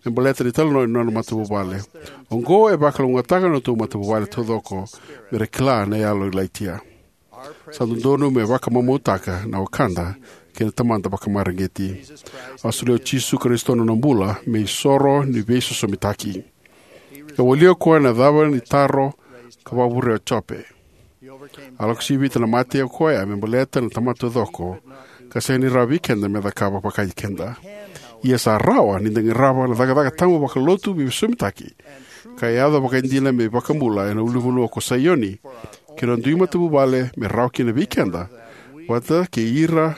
me baleta na italanoa ni nona matavuvale. Oqo e vakalougatataka na nodatou matavuvale taucoko me ra kila na yalo i Laitia. Sa dodonu me vakamamautaka na wekada kei na tamada vakamareqeti. A solia o Jisu Karisito na nona bula me isoro ni veisosomitaki. E walia o koya na cava ni taro ka vakavurea o Jope. A lako sivita na mate o koya me baleta na tamata taucoko, ka sega ni rawa vei keda me cakava vakaikeda. Ia sa rawa ni da qarava na cakacaka tabu vakalotu veisosomitaki ka yaco vakaidina me iVakabula ena ulunivanua ko Saioni, kei na dui matavuvale me rawa kina vei keda vata kei ira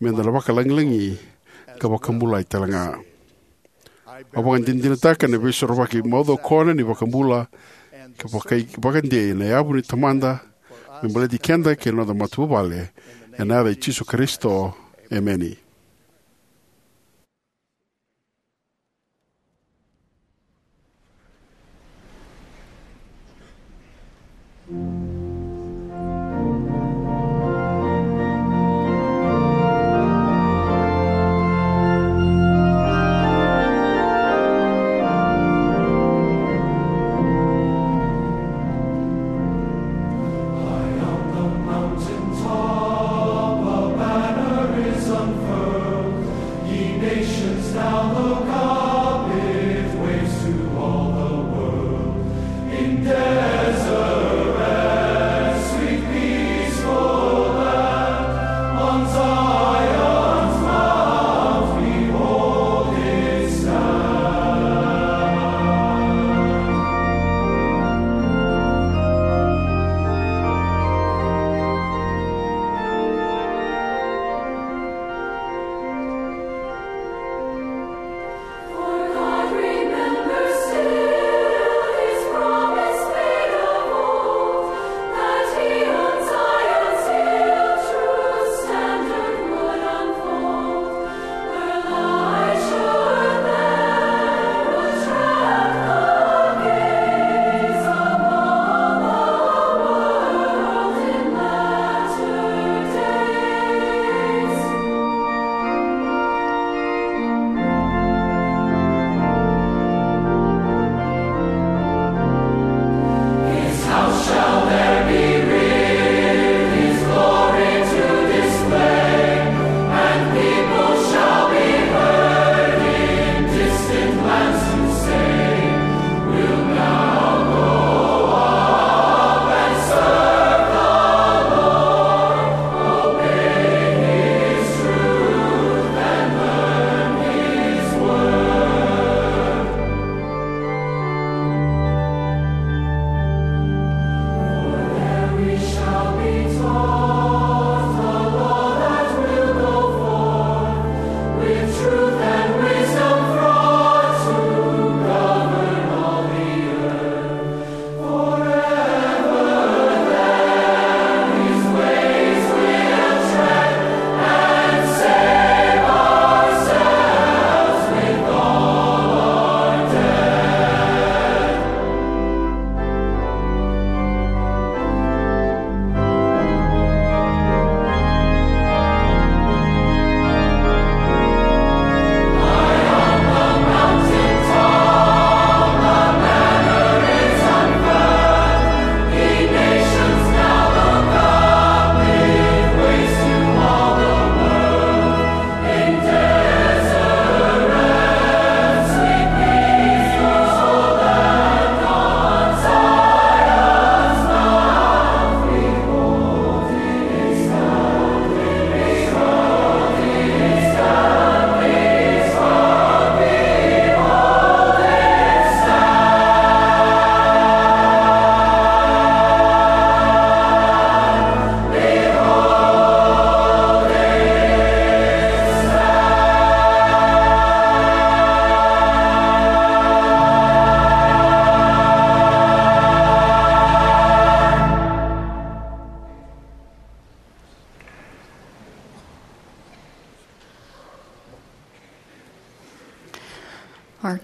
me da na vakalagilagi ka vakabulai talega. Au vakadinadinataka na veisorovaki maucokona ni iVakabula ka vakai- vakadei na yavu ni tamada me baleti keda kei na noda matavuvale, ena yaca i Jisu Karisito, emeni.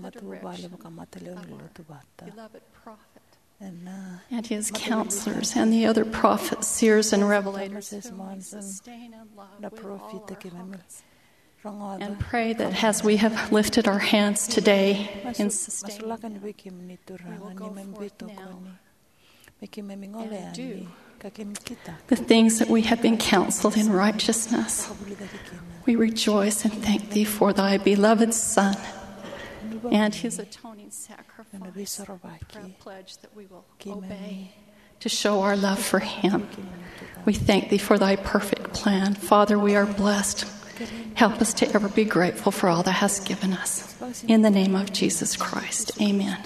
matavuvale vakamatalevu ni lotu vata. Ena, uh, and his counselors and the other prophets, seers, and revelators whom we sustain and love with all our hearts. And pray that as we have lifted our hands today in sustaining them, we will go forth now and do the things that we have been counseled in righteousness. We rejoice and thank thee for thy beloved Son and his atoning sacrifice. Pray, pledge that we will obey to show our love for him. We thank thee for thy perfect plan. Father, we are blessed. Help us to ever be grateful for all thou hast given us. In the name of Jesus Christ, amen.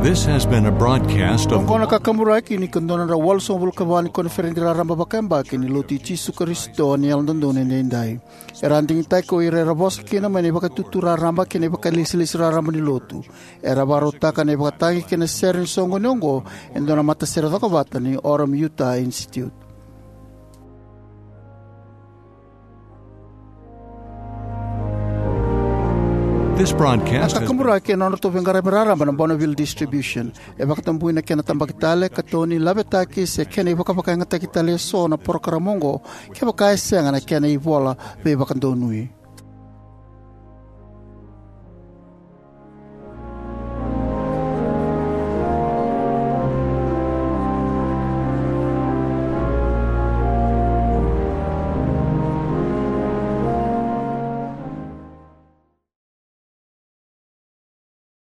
This has been a broadcast of Oqo na kakaburaki ni ka dua na drau walusagavulu ka va ni koniferedi raraba vakayabaki ni Lotu i Jisu Karisito ni Yalododonu Edaidai. Era a digitaki o ira era vosa kina mai na ivakatutu raraba kei na ivakalesilesi raraba ni Lotu. Era vakarautaka na ivakatagi kei na sere ni soqoni oqo e dua na matasere cokovata ni Orem Utah Institute. This broadcast has been Na kakaburaki e nodratou veiqaravi raraba na Bonneville Distribution. E vakatabui na kena tabaki tale, katoni, lavetaki se kena ivakavakayagataki tale eso na porokaramu oqo kevaka e sega na kena ivola veivakadonui.